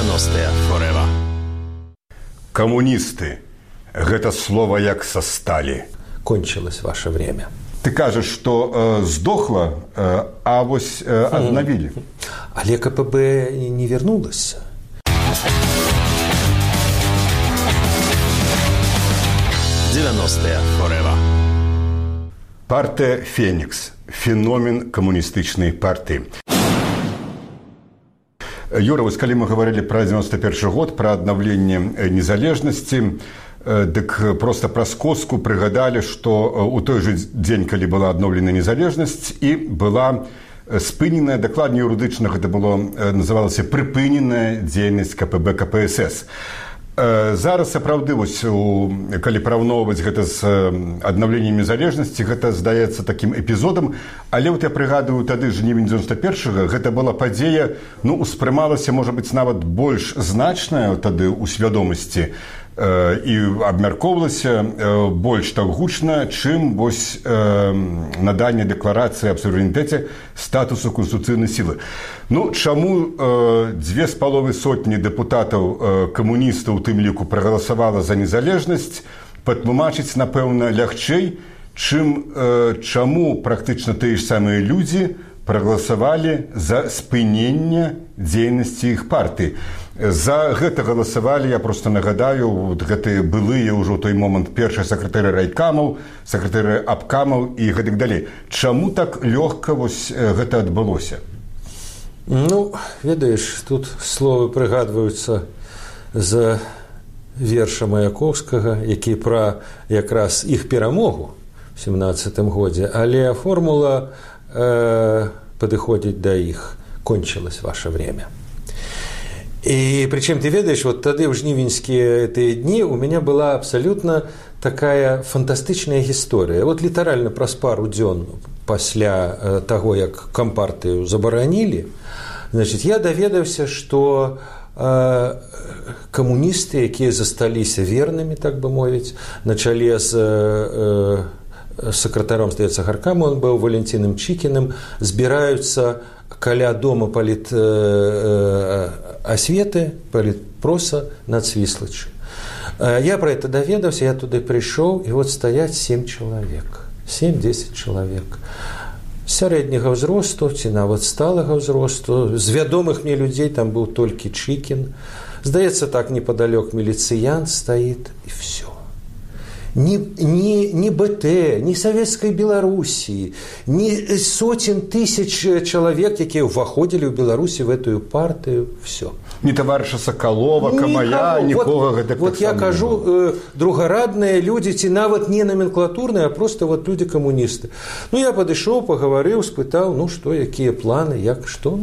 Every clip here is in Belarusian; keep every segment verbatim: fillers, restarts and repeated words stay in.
девяностые forever. Коммунисты. Гэта слово як со стали. Кончилось ваше время. Ты кажешь, что э, сдохло, э, а вось э, обновили. Але КПБ не вернулось. девяностые forever. Партия «Феникс». Феномен коммунистычной партии. Юра, вось калі мы говорили про девяносто первый год, про обновление незалежности, дык просто праз коску прыгадалі, што у той же дзень, калі была адноўлена незалежнасць, і была спыненая, дакладней юрыдычна гэта было, называлася прыпыненая дзейнасць КПБ КПСС. Зараз сапраўды, вось, калі параўноўваць гэта з аднаўленнем незалежнасці, гэта здаецца такім эпізодам, але вот я прыгадываю, тады жнівень девяносто первого, гэта была падзея, ну, успрымалася, можа быць, нават больш значная тады ў свядомасці, і абмяркоўвалася больш так гучна, чым вось наданне дэкларацыі аб суверэнітэце статусу канстытуцыйнай сілы. Ну, чаму дзве з паловай сотні дэпутатаў камуністаў у тым ліку прагаласавала за незалежнасць, патлумачыць, напэўна, лягчэй, чым чаму практычна тыя ж самыя людзі прагаласавалі за спыненне дзейнасці іх партыі. За гэта галасавалі, я просто нагадаю, вот гэтыя былыя ўжо ў той момант першыя сакратары райкамаў, сакратары абкамаў і гэтак далей. Чаму так лёгка вось гэта адбылося? Ну, ведаеш, тут словы прыгадваюцца з верша Маяковскага, які пра якраз іх перамогу ў семнадцатым годзе, але формула э, падыходзіць да іх. Кончилось ваше время. И причем, ты ведаешь, вот тогда в жнивеньские эти дни у меня была абсолютно такая фантастичная история. Вот литерально праз пару дзён пасля того, як кампартыю забаранили, значит, я даведаўся, что э, коммунисты, якія засталіся верными, так бы мовіць, на чале з э, сакратаром, здаецца, гаркама, он был Валентином Чикиным, збіраюцца каля дома полит э, осветы, политпроса над Свислочью. Я про это доведался, я туда пришел, и вот стоять семь человек, семь-десять человек. Сярэдняга ўзросту, ці нават сталага ўзросту, з вядомых мне людзей там был толькі Чикин. Здаецца, так неподалёк милициянт стоит, и все. Ни, ни, ни БТ, ни Советской Белоруссии, ни сотен тысяч человек, которые входили в Беларуси в эту партию, все. Ни товарища Соколова, Камая, никого. Вот, вот я кажу, э, другорадные люди, ці нават не номенклатурные, а просто вот люди-коммунисты. Ну, я подошел, поговорил, спытал, ну, что, какие планы, як, что.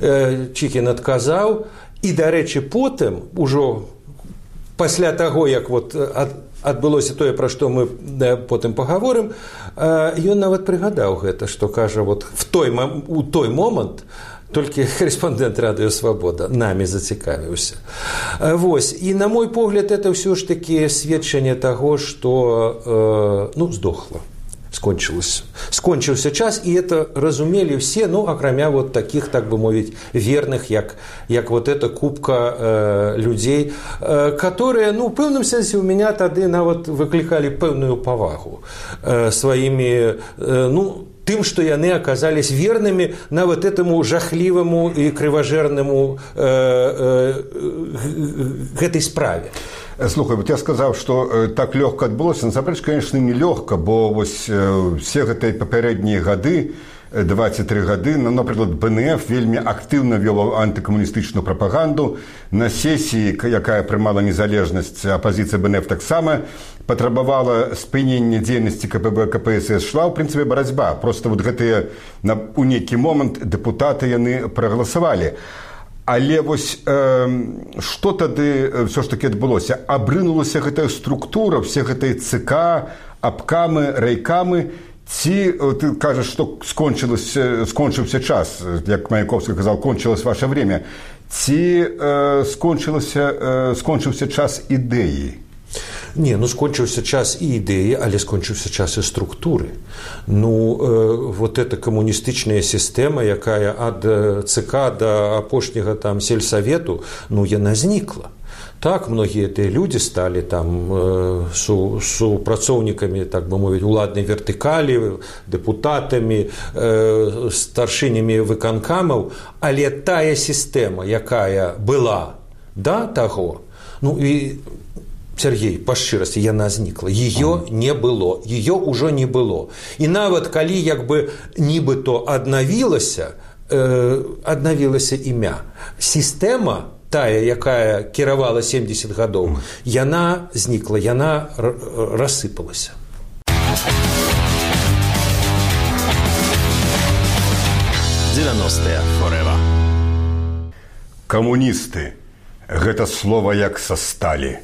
Э, Чикин отказал, и, до речи, потом, уже после того, як вот от, адбылося тое, пра што мы да, потым пагаворым, ён нават прыгадаў гэта, што кажа, вот в той, у той момант толькі корэспандэнт радыё «Свабода» намі зацікавіўся. Вось. І, на мой погляд, это ўсё ж такі сведчанне таго, што, ну, здохла. Скончилось. Скончился час, и это разумели все, ну, акрамя вот таких, так бы мовить, верных, як, як вот эта купка э, людей, э, которые, ну, в пэўным сэнсе у меня тады нават выкликали пэўную павагу э, своими, э, ну, тым, што яны оказались верными на вот этому жахливому и кривожерному э, э, гэтай справе. Слухай, вот я сказаў, што э, так лёгка адбылося. Насамрэч, конечно, не лёгка, бо вось э, все гэтыя папярэднія гады, двадцать три гады, ну, напрыклад, БНФ вельмі актыўна вёў антыкамуністычную прапаганду. На сесіі, якая прымала незалежнасць, апазіцыя БНФ таксама патрабавала спынення дзейнасці КПБ КПСС. Шла, ў прынцыпе, барацьба. Просто вот гэтыя у нейкі момант дэпутаты яны прагаласавалі. Але вось э, што тады ўсё ж такі адбылося? Абрынулася гэтая структура, все гэтыя ЦК, абкамы, райкамы, ці ты кажаш, што скончыўся час, як Маяковскі казаў, кончилось ваше время, ці э, скончыўся, э, скончыўся час ідэі? Не, ну скончыўся час і ідэі, але скончыўся час і структуры. Ну, э, вот эта камуністычная сістэма, якая ад ЦК да апошняга там сельсавету, ну, яна знікла. Так, многія тыя людзі сталі там э, су, супрацоўнікамі, так бы мовіць, уладнай вертыкалі, дэпутатамі, э, старшынямі выканкамаў, але тая сістэма, якая была да таго, ну і Сергей, па шчырасці, яна знікла. Ее не было, ее ўжо не было. І нават калі як бы нібыто аднавілася, э, аднавілася імя, сістэма тая, якая кіравала семьдесят гадоў, яна знікла, яна рассыпалася. девяностые forever. Камуністы – гэта слова як са сталі.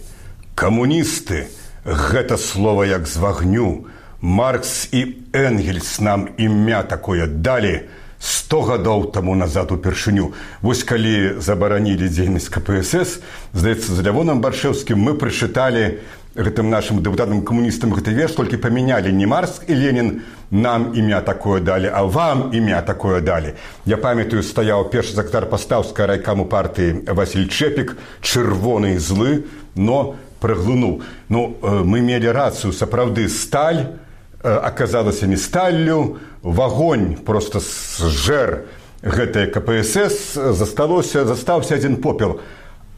Камуністы – гэта слова як з вагню. Маркс і Энгельс нам імя такое далі сто гадоў таму назад упершыню. Вось калі забаранілі дзейнасць ка пэ эс эс, здаецца, з Лявонам Баршэўскім мы прачыталі гэтым нашым дэпутатам-камуністам гэты верш, толькі памянялі не Маркс і Ленін нам імя такое далі, а вам імя такое далі. Я памятаю, стаяў першы сакратар пастаўскага райкаму партыі Васіль Чэпік, чырвоны і злы, но праглынуў. Ну, мы мелі рацыю, сапраўды, сталь аказалася не сталлю, вагонь просто зжэр гэтае ка пэ эс эс, засталося, застаўся адзін попел.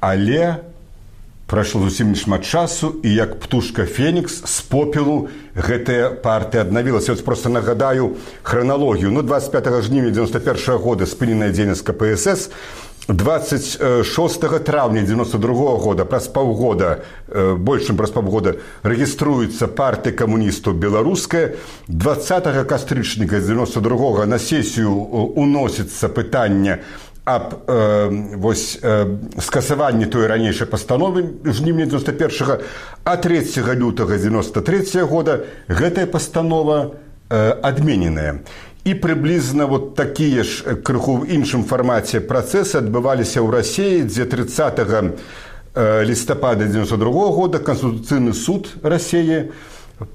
Але прайшло зусім нешмат часу, і як птушка Фенікс з попелу гэтая партыя аднавілася. Вось просто нагадаю храналогію. Ну, двадцать пятого жніўня девяносто первого года спыненая дзейнасць ка пэ эс эс, двадцать шестого траўня девяносто другого года, праз паўгода, больш чым праз паўгода, рэгіструецца партыя камуністаў беларуская. двадцатого кастрычніка девяносто другого на сесію уносіцца пытанне аб э, вось, э, скасаванні той ранейшай пастановы жніўня девяносто первого, а трэцяга лютага девяносто третьего года гэтая пастанова э, адмененая. І прыблізна вот такія ж крыху ў іншым фармаце працэсы адбываліся ў Расіі, дзе тридцатого лістапада девяносто другого года Канстытуцыйны суд Расіі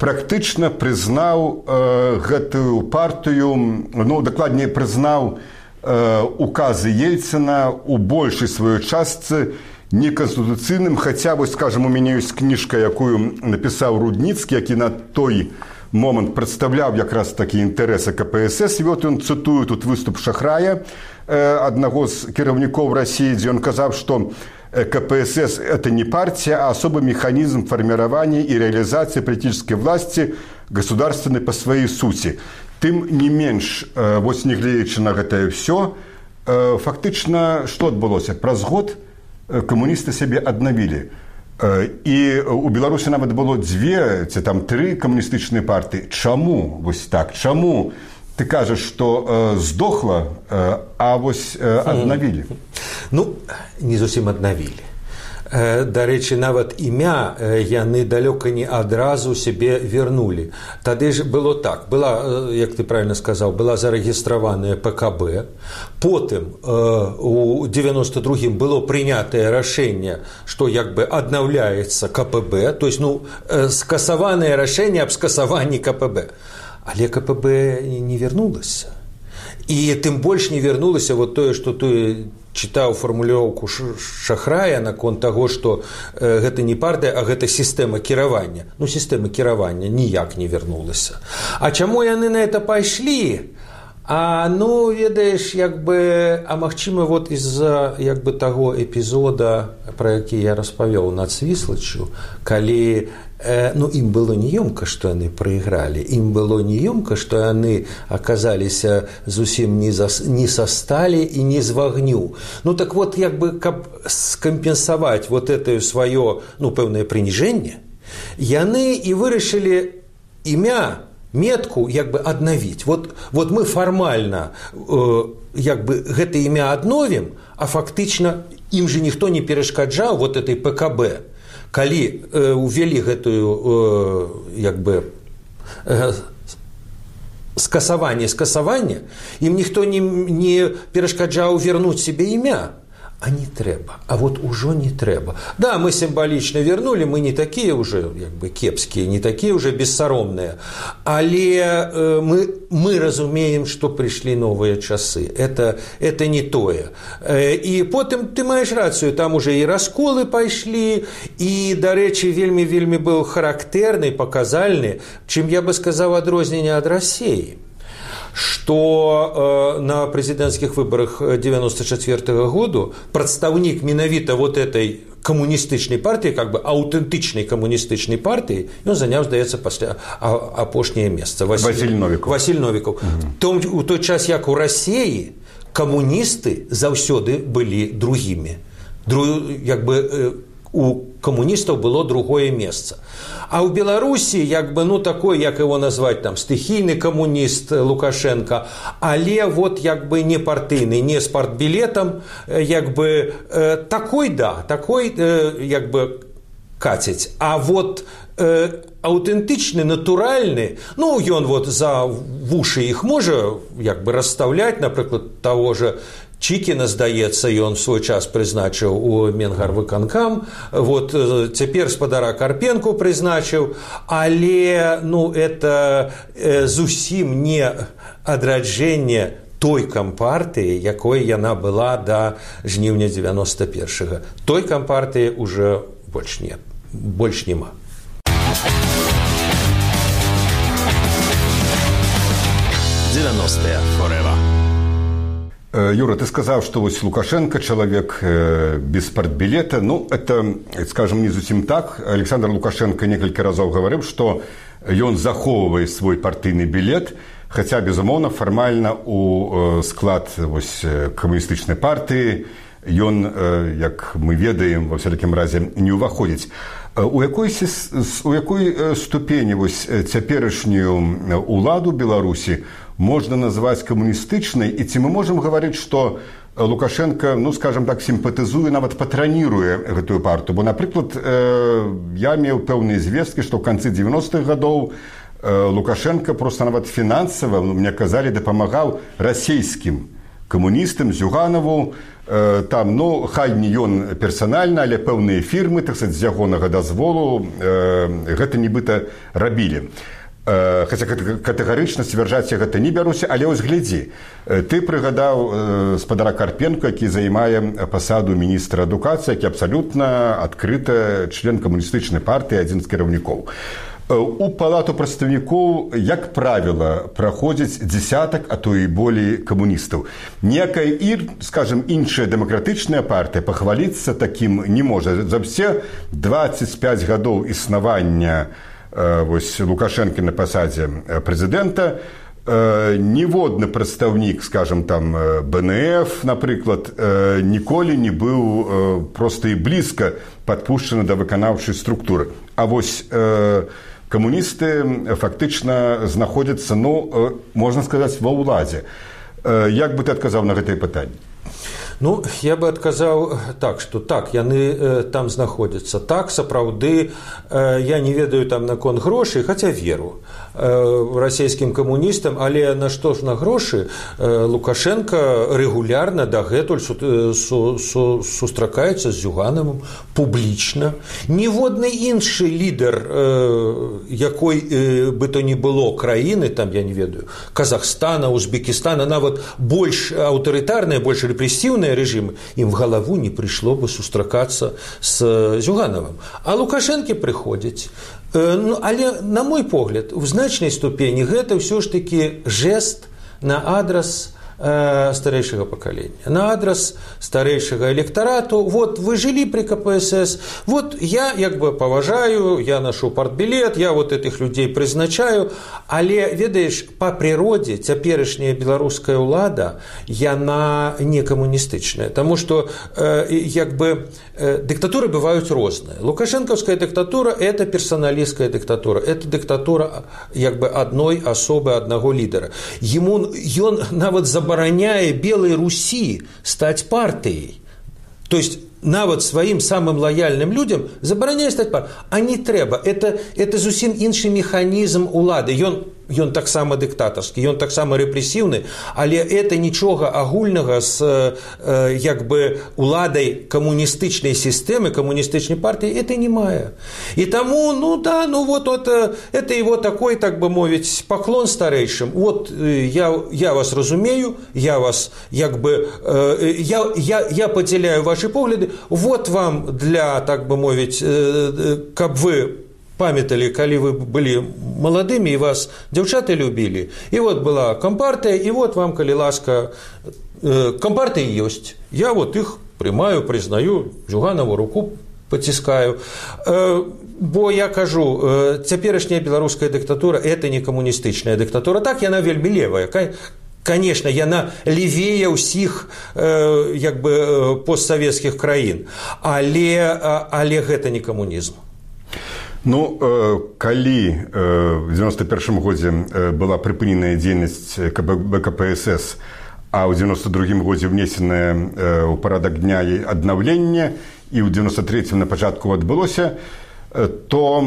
практычна прызнаў э, гэтую партыю, ну, дакладней прызнаў э, указы Ельцына у большай сваёй частцы неканстытуцыйным, хаця, вось, скажем, у мяне ёсць кніжка, якую напісаў Рудніцкі, які на той момант прадстаўляў якраз такі інтарэсы ка пэ эс эс. І вот ён цытую тут выступ Шахрая, э, аднаго з кіраўнікоў Расіі, дзе ён казаў, што ка пэ эс эс – это не партия, а особый механизм формирования и реализации политической власти государственной по своей сути. Тым не менш, э, вось не гледзячы на гэтае ўсё, э, фактычна што адбылося? Праз год камуністы сябе аднавілі. І у Беларусі нават было дзве ці там тры камуністычныя партыі. Чаму вось так? Чаму ты кажаш, што э, здохла, э, а вось э, аднавілі? Ну, не зусім аднавілі. Дарэчы, нават імя яны далёка не адразу сябе вярнулі. Тады ж было так, была, як ты правильно сказаў, была зарэгістраваная пэ ка бэ, потым у девяносто другім было прынятае рашэнне, што як бы аднаўляецца ка пэ бэ, то есть, ну, скасаванае рашэнне аб скасаванні ка пэ бэ. Але ка пэ бэ не вярнулася. І тым больш не вярнулася вот тое, што ты чытаў фармулёўку Шахрая наконт таго, што э, гэта не партыя, а гэта сістэма кіравання. Ну, сістэма кіравання ніяк не вярнулася. А чаму яны на это пайшлі? А, ну, ведаеш, як бы, а магчыма, вот из-за як бы таго эпізода, пра які я распавёў над Свіслаччу, калі ну, ім было неёмка, што яны прайгралі, ім было неёмка, што яны аказаліся зусім не, за, не са сталі і не з вагню. Ну, так вот, як бы, каб скампенсаваць вот это сваё, ну, пэўнае прыніжэнне, яны і вырашылі імя, метку, як бы, аднавіць. Вот, вот мы фармальна, э, як бы, гэта імя адновім, а фактычна ім же ніхто не перашкаджаў вот этой пэ ка бэ. Калі э, увялі гэтую э, як бы э, скасаванне скасавання, ім ніхто не, не перашкаджаў вярнуць сябе імя. а не трэба, а вот ужо не трэба. Да, мы сімвалічна вернули, мы не такія уже як бы кепскія, не такія уже бессаромныя, але э, мы, мы разумеем, што прыйшлі новыя часы. Это, это не тое. Э, і потым ты маеш рацыю, там уже і расколы пайшлі, і, дарэчы, вельмі-вельмі быў характэрны, паказальны, чым я бы сказаў адрозненне ад Расіі. Что э, на президентских выборах девяносто четвёртого года представник менавіта вот этой коммунистычной партии, как бы аутентичной коммунистычной партии, он занял, здаецца, пасля апошняе месца. Василь, Василь Новиков. Василь Новиков. Угу. Том, у той час, як у России, коммунисты заўсёды были другими. Дру, як бы, э, у камуністаў было другое месца. А ў Беларусі, як бы, ну, такой, як его назваць, там, стыхійны камуніст Лукашенко, але вот, як бы, не партыйны, не з партбілетам, як бы, э, такой, да, такой, э, як бы, кацяць. А вот э, аўтэнтычны, натуральны, ну, ён вот за вушы іх можа, як бы, расстаўляць, напрыклад, таго же Чікіна, здаецца, ён свой час прызначыў у Менгарвыканкам, вот цяпер спадара Карпенку прызначыў, але, ну, это э, зусім не адраджэнне той кампартыі, якой яна была да жніўня девяносто першага. Той кампартыі уже больш не, больш нема. девяностые forever. Юра, ты сказал, что вот Лукашенко человек без партбилета. Ну, это, скажем, не зусім так. Александр Лукашенко несколько разов говорил, что он захоўвае свой партийный билет, хотя, безумоўна, формально у склад вось, коммунистычнай партии он, як мы ведаем, во всякім разе не уваходзіць. У якой, у якой ступені вось цяперашнюю уладу Беларусі можно назвать коммунистычной, и ці мы можем говорить, что Лукашенко, ну, скажем так, симпатизуе, нават патраніруе гэтую партию. Бо, напрыклад, я меў пэўныя звесткі, што ў канцы девяностых гадоў Лукашенко просто нават фінансава, ну, мне казалі, дапамагаў расійскім камуністам, Зюганову, там, ну, хай не ён персанальна, але пэўныя фірмы, так сказать, з ягонага дазволу гэта нібыта рабілі. Хаця катэгарычна сцвярджаць я гэта не бяруся, але ось глядзі, ты прыгадаў спадара Карпенко, які займае пасаду міністра адукацыі, які абсалютна адкрыта член камуністычнай партыі, адзін з кіраўнікоў. У палату прадстаўнікоў, як правіла, праходзіць дзесятак, а то і болей камуністаў. Ніякая, скажем, іншая дэмакратычная партыя пахваліцца такім не можа. За ўсе двадцать пять гадоў існавання вось Лукашенко на пасадзе прэзідэнта ніводны прадстаўнік, скажем, там бэ эн эф, напрыклад, ніколі не быў проста і блізка падпушчаны да выканаўчай структуры. А вось камуністы фактычна знаходзяцца, ну, можна сказаць, ва ўладзе. Як бы ты адказаў на гэтае пытанне? Ну, я бы адказаў так, што так, яны э, там знаходзяцца. Так, сапраўды, э, я не ведаю там наконт грошай, хаця веру э, расійскім камуністам, але на што ж на грошы э, Лукашенко рэгулярна дагэтуль су, су, су, сустракаецца з Зюгановым публічна. Ніводны іншы лідар, э, якой э, бы то ні было краіны, там, я не ведаю, Казахстана, Узбекистана, нават больш аўтарытарныя, больш рэпрэсіўныя режимы, им в голову не пришло бы сустракаться с Зюгановым. А Лукашенко приходит. Ну, але, на мой погляд, в значной ступени это все ж таки жест на адрес старейшего поколения, на адрес старейшего электорату. Вот вы жили при ка пэ эс эс, вот я як бы поважаю, я ношу партбилет, я вот этих людей призначаю, але, ведаеш, по природе цяперашняя беларуская ўлада, яна не камуністычная, потому что э, як бы э, диктатуры бывают розныя. Лукашенковская диктатура – это персоналистская диктатура, это диктатура як бы одной особы, одного лидера. Ему, ён нават забараняе забараняе Белой Руси стать партией. То есть нават своим самым лояльным людям забараняе стать партией. А не трэба. Это, это зусім іншы механізм улады. Ён ён таксама дыктатарскі, ён таксама рэпрэсіўны, але это нічога агульнага з як бы уладай камуністычнай сістэмы, камуністычнай партыі это не мае. І таму, ну да, ну вот, вот это его такой, так бы мовіць, паклон старэйшым. Вот я, я вас разумею, я вас як бы я, я, я падзяляю ваши погляды, вот вам для, так бы мовіць, каб вы памяталі, калі вы былі маладымі і вас дзяўчаты любілі. І вот была кампартыя, і вот вам, калі ласка, кампартыя ёсць. Я вот іх прымаю, прызнаю, Зюганову руку паціскаю. Бо я кажу, цяперашняя беларуская дыктатура – это не камуністычная дыктатура. Так, яна вельмі левая. Конечно, яна левее ўсіх як бы постсавецкіх краін. Але, але гэта не камунізм. Ну, калі в девяносто первом годзе была прыпыненая дзейнасць бэ ка пэ эс эс, а ў девяносто другом годзе внесенае ў парадак дня і аднаўленне, і ў девяносто третьем на пачатку адбылося, то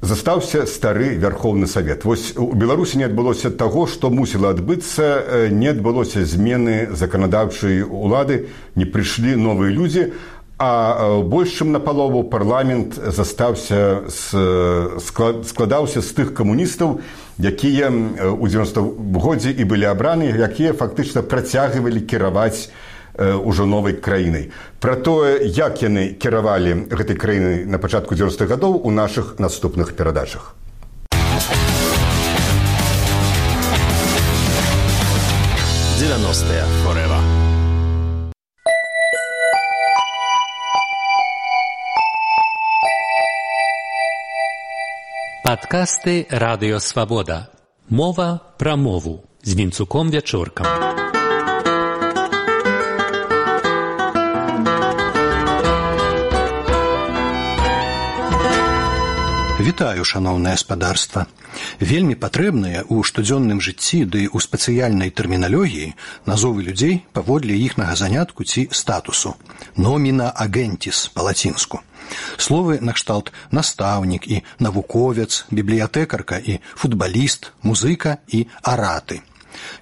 застаўся стары Вярхоўны Савет. Вось у Беларусі не адбылося таго, што мусіла адбыцца, не адбылося змены заканадаўчай улады, не прыйшлі новыя людзі, а больш чым напалову парламент застаўся складаўся з тых камуністаў, якія ў девяностом годзе і былі абраны, якія фактычна працягвалі кіраваць ужо новай краінай. Пра тое, як яны кіравалі гэтай краінай на пачатку девяностых гадоў у нашых наступных перадачах. девяностые forever. Падкасты «Радыё Свабода». Мова пра мову з Вінцуком Вячоркам. Вітаю, шаноўнае спадарства. Вельмі патрэбныя ў штодзённым жыцці ды ў спецыяльнай тэрміналогіі назовы людзей паводле іхнага занятку ці статусу. Номіна агентіс па-лацінску. Словы накшталт настаўнік і навуковец, бібліятэкарка і футбаліст, музыка і араты.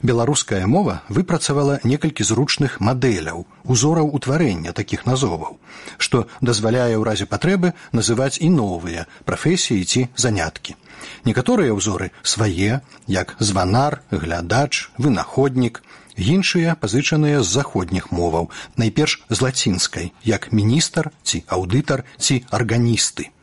Беларуская мова выпрацавала некалькі зручных мадэляў, узораў утварэння такіх назоваў, што дазваляе ў разе патрэбы называць і новыя прафесіі ці заняткі. Некаторыя ўзоры свае, як званар, глядач, вынаходнік, іншыя пазычаныя з заходніх моваў, найперш з лацінскай, як міністр ці аўдытар ці арганісты.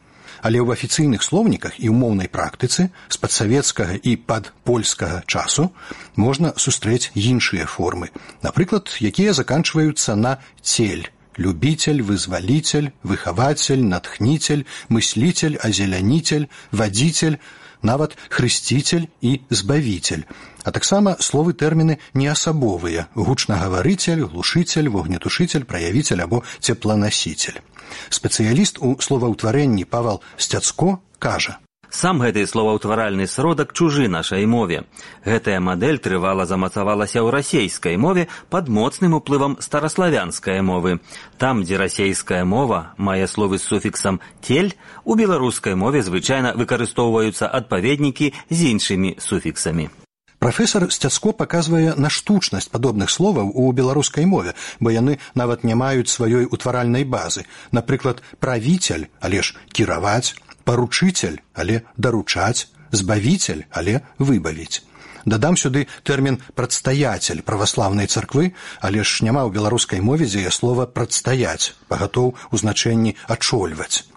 Але ў афіцыйных слоўніках і ў моўнай практыцы з падсавецкага і падпольскага часу можна сустрэць іншыя формы, напрыклад, якія заканчваюцца на цель, любитель, вызвалитель, выхаватель, натхнитель, мыслитель, озеляніцель, вадзіцель, нават хрысціцель і збавіцель, а таксама словы тэрміны неасабовыя – гучнагаварыцель, глушыцель, вогнетушыцель, праявіцель або цепланасіцель. Спецыяліст у словаўтварэнні Павал Сцяцко кажа: Сам гэты словаўтваральны сродак чужы нашай мове. Гэтая мадэль трывала замацавалася ў расейскай мове пад моцным уплывам стараславянскай мовы. Там, дзе расейская мова мае словы з суфіксам «тель», у беларускай мове звычайна выкарыстоўваюцца адпаведнікі з іншымі суфіксамі. Прафесар Сцяцко паказвае на штучнасць падобных словаў у беларускай мове, бо яны нават не маюць сваёй утваральнай базы. Напрыклад, правіцель, але ж кіраваць, паручыцель, але даручаць, збавіцель, але выбавіць. Дадам сюды тэрмін «прадстаяцель» праваслаўнай царквы, але ж няма ў беларускай мове дзея слова «прадстаяць», пагатоў у значэнні «ачольваць».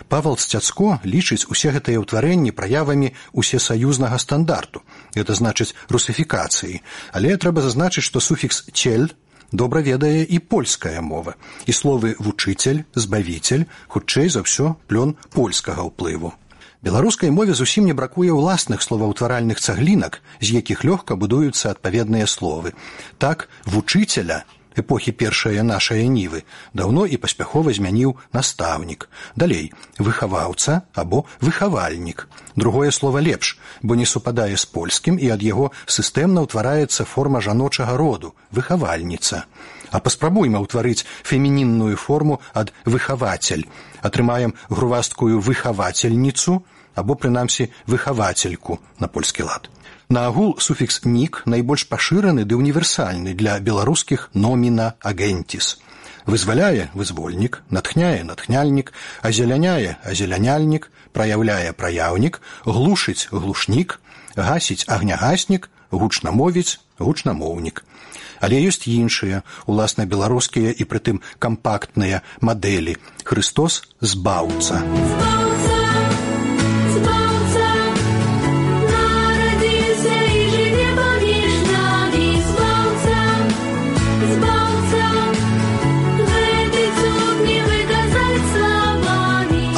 Павал Сцяцко лічыць усе гэтыя ўтварэнні праявамі усесаюзнага стандарту, гэта значыць русифікацыі, але трэба зазначыць, што суфікс «цель» добра ведае і польская мова, і словы «вучыцель», «збавіцель» хутчэй за ўсё плён польскага ўплыву. Беларускай мове зусім не бракуе ўласных словаўтваральных цаглінак, з якіх лёгка будуюцца адпаведныя словы. Так, «вучыцеля» эпохі першае нашае нівы даўно і паспяхова змяніў настаўнік. Далей, выхаваўца або выхавальнік. Другое слова лепш, бо не супадае з польскім і ад яго сістэмна ўтвараецца форма жаночага роду – выхавальніца. А паспрабуйма ўтварыць фемінінную форму ад выхавацель. Атрымаем грувасткую выхавацельніцу або, прынамсі, выхавацельку на польскі лад. Наагул суфікс «нік» найбольш пашыраны ды універсальны для беларускіх номіна агентіс. Вызваляе – вызвольнік, натхняе – натхняльнік, азеляняе – азеляняльнік, праяўляе – праяўнік, глушыць – глушнік, гасіць – агнягаснік, гучна мовіць – гучнамоўнік. Але ёсць іншыя, уласна беларускія і прытым кампактныя мадэлі. Хрыстос – збаўца.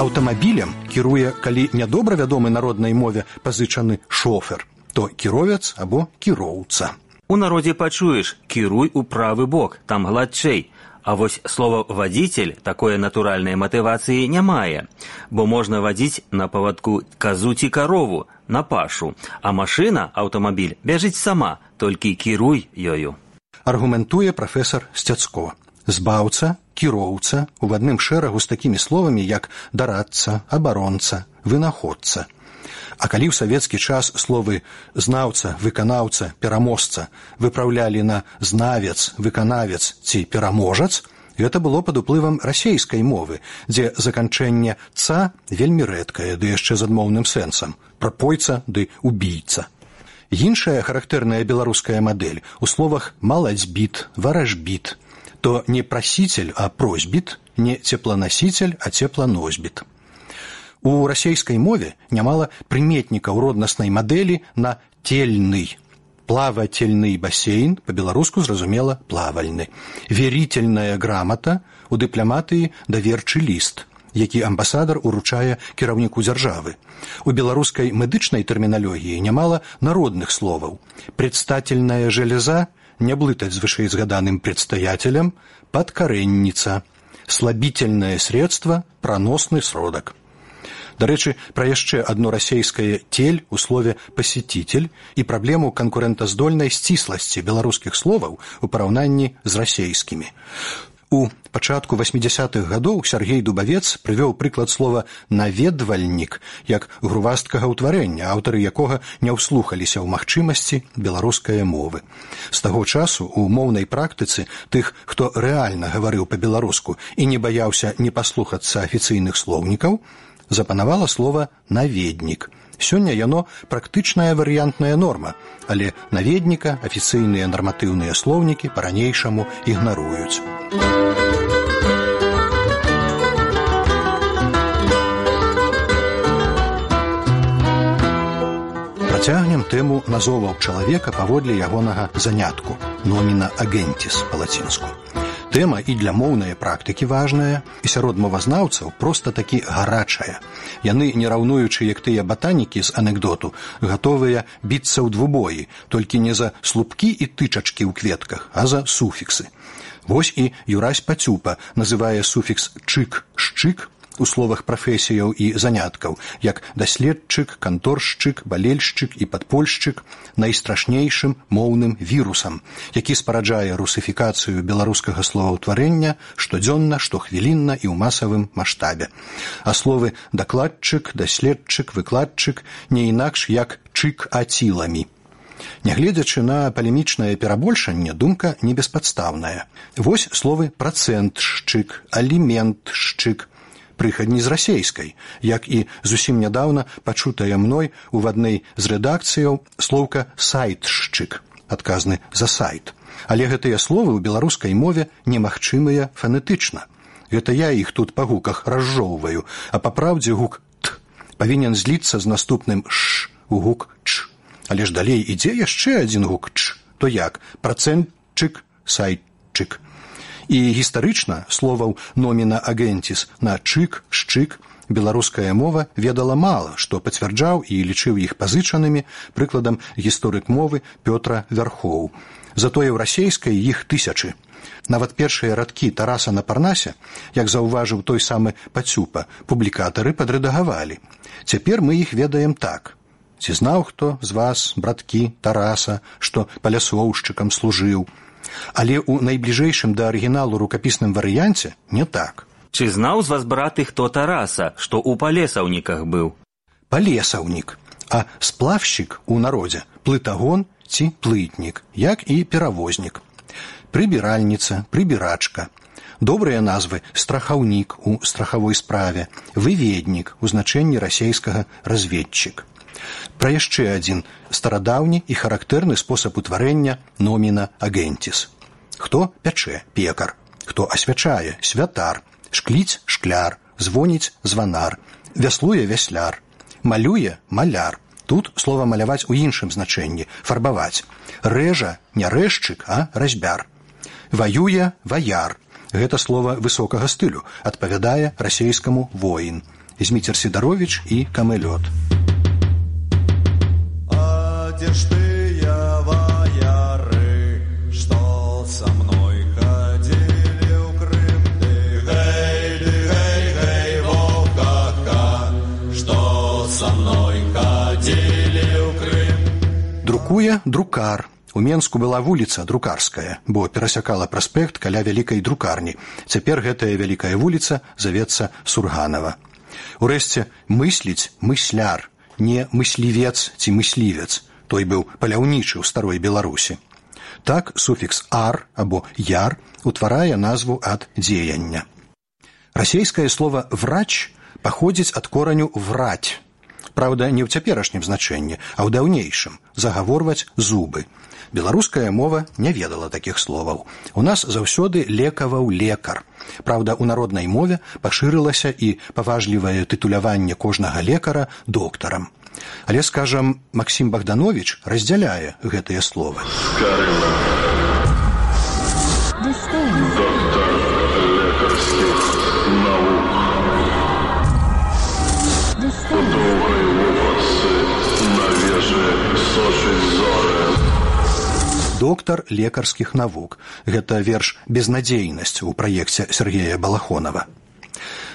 Аўтамабілем кіруе, калі нядобра вядомы народнай мове пазычаны шофер, то кіровец або кіроўца. У народзе пачуеш «кіруй у правы бок», там гладчэй. А вось слова «вадзіцель» такое натуральнай матывацыі не мае, бо можна вадзіць на павадку казу ці карову, на пашу, а машына, аўтамабіль, бяжыць сама, толькі кіруй ёю. Аргументуе прафесар Сцяцко. Збаўца, кіроўца у адным шэрагу з такімі словамі, як дарадца, абаронца, вынаходца. А калі ў савецкі час словы «знаўца», «выканаўца», «пераможца» выпраўлялі на «знавец», «выканавец» ці «пераможац», гэта было пад уплывам расейскай мовы, дзе заканчэнне «ца» вельмі рэдкае, ды яшчэ з адмоўным сэнсам – прапойца ды убійца. Іншая характэрная беларуская мадэль у словах «малацьбіт», «варажбіт», то не прасіцель, а просьбіт, не цепланасіцель, а цепланосьбіт. У расейскай мове нямала прыметнікаў роднаснай мадэлі на тельны. Плавательны басейн, па-беларуску зразумела плавальны. Верительная грамата, у дыпламатыі даверчы ліст, які амбасадар уручае кіраўніку дзяржавы. У беларускай медычнай тэрміналогіі нямала народных словаў. Предстательная железа, не блытаць з вышэйзгаданым предстаятелем, падкарэнніца, слабительное средство, праносны сродак. Дарэчы, пра яшчэ адно расейскае «тель» у слове «пасетитель» і праблему канкурэнтаздольнай сцісласці беларускіх словаў у параўнанні з расейскімі. У пачатку васьмідзясятых гадоў Сяргей Дубавец прывёў прыклад слова «наведвальнік» як грувасткага ўтварэння, аўтары якога не ўслухаліся ў магчымасці беларускай мовы. З таго часу у моўнай практыцы тых, хто рэальна гаварыў па-беларуску і не баяўся не паслухацца афіцыйных слоўнікаў, запанавала слова «наведнік». Сёння яно практычная варыянтная норма, але наведніка афіцыйныя нарматыўныя слоўнікі па-ранейшаму ігнаруюць. Працягнем тэму назоваў чалавека паводле ягонага занятку – номіна агентіс па-лацінску. Тэма і для моўнай практыкі важная, і сярод мовазнаўцаў проста такі гарачая. Яны, не раўнуючы, як тыя батанікі з анекдоту, гатовыя біцца ў двубоі, толькі не за слупкі і тычачкі ў кветках, а за суфіксы. Вось і Юрась Пацюпа называе суфікс «чык», «шчык» у словах прафесіяў і заняткаў, як даследчык, канторшчык, балельшчык і падпольшчык найстрашнейшым моўным вірусам, які спараджае русыфікацыю беларускага словаўтварэння штодзённа, штохвілінна і ў масавым маштабе. А словы дакладчык, даследчык, выкладчык не інакш як чык-аціламі. Нягледзячы на палемічнае перабольшанне, думка не беспадстаўная. Вось словы працэнтшчык, аліментшчык, прыхадні з расейскай, як і зусім нядаўна пачутая мной у адной з рэдакцыяў слоўка «сайтшчык», адказны за сайт. Але гэтыя словы ў беларускай мове немагчымыя фанетычна. Гэта я іх тут па гуках разжоўваю, а па праўдзе гук «т» павінен зліцца з наступным «ш» у гук «ч». Але ж далей ідзе яшчэ адзін гук «ч», то як працэнтчык, сайтчык. І гістарычна словаў номіна агентіс на чык, шчык беларуская мова ведала мала, што пацвярджаў і лічыў іх пазычанымі прыкладам гісторык мовы Пётра Вярхоў. Затое ў расейскай іх тысячы. Нават першыя радкі Тараса на Парнасе, як заўважыў той самы Пацюпа, публікатары падрэдагавалі. Цяпер мы іх ведаем так. Ці знаў хто з вас, браткі, Тараса, што палясоўшчыкам служыў? Але ў найбліжэйшым да арыгіналу рукапісным варыянце не так. Чи знаў з вас, браты, хто Тараса, што ў палесаўніках быў? Палесаўнік, а сплавшчык у народзе плытагон ці плытнік, як і перавознік. Прыбіральніца, прыбірачка. Добрыя назвы страхаўнік у страхавой справе, выведнік у значэнні расейскага разведчык. Пра яшчэ адзін старадаўні і характэрны спосаб утварэння номіна агентіс. Хто пячэ – пекар, хто асвячае – святар, шкліць – шкляр, звоніць – званар, вяслуе – вясляр, малюе – маляр. Тут слова маляваць у іншым значэнні – фарбаваць. Рэжа – не рэзчык, а разьбяр. Ваюе – ваяр. Гэта слова высокага стылю, адпавядае расейскаму воін. Зміцер Сідаровіч і Камэлёт. А дзе ж тыя ваяры, што са мной хадзілі ў Крым? Ты гэй, ты гэй, гэй, вовка, што са мной хадзілі ў Крым? Друкуе друкар. У Менску была вуліца Друкарская, бо перасякала праспект каля вялікай друкарні. Цяпер гэтая вялікая вуліца завецца Сурганава. Урэшце, мысліць мысляр, не мыслівец ці мыслівец. Той быў паляўнічы ў старой Беларусі. Так суфікс «ар» або «яр» утварае назву ад дзеяння. Расейскае слова «врач» паходзіць ад кораню «враць». Праўда, не ў цяперашнім значэнні, а ў даўнейшым – загаворваць зубы. Беларуская мова не ведала такіх словаў. У нас заўсёды лекаваў лекар. Праўда, у народнай мове пашырылася і паважлівае тытуляванне кожнага лекара доктарам. Але, скажам, Максім Богданович раздзяляе гэтыя словы. Доктор лекарскіх наук. У доўгай вопратцы на вежы сочыць зоры. Доктар лекарскіх навук. Гэта верш «Безнадзейнасць» у праекце Сергея Балахонова.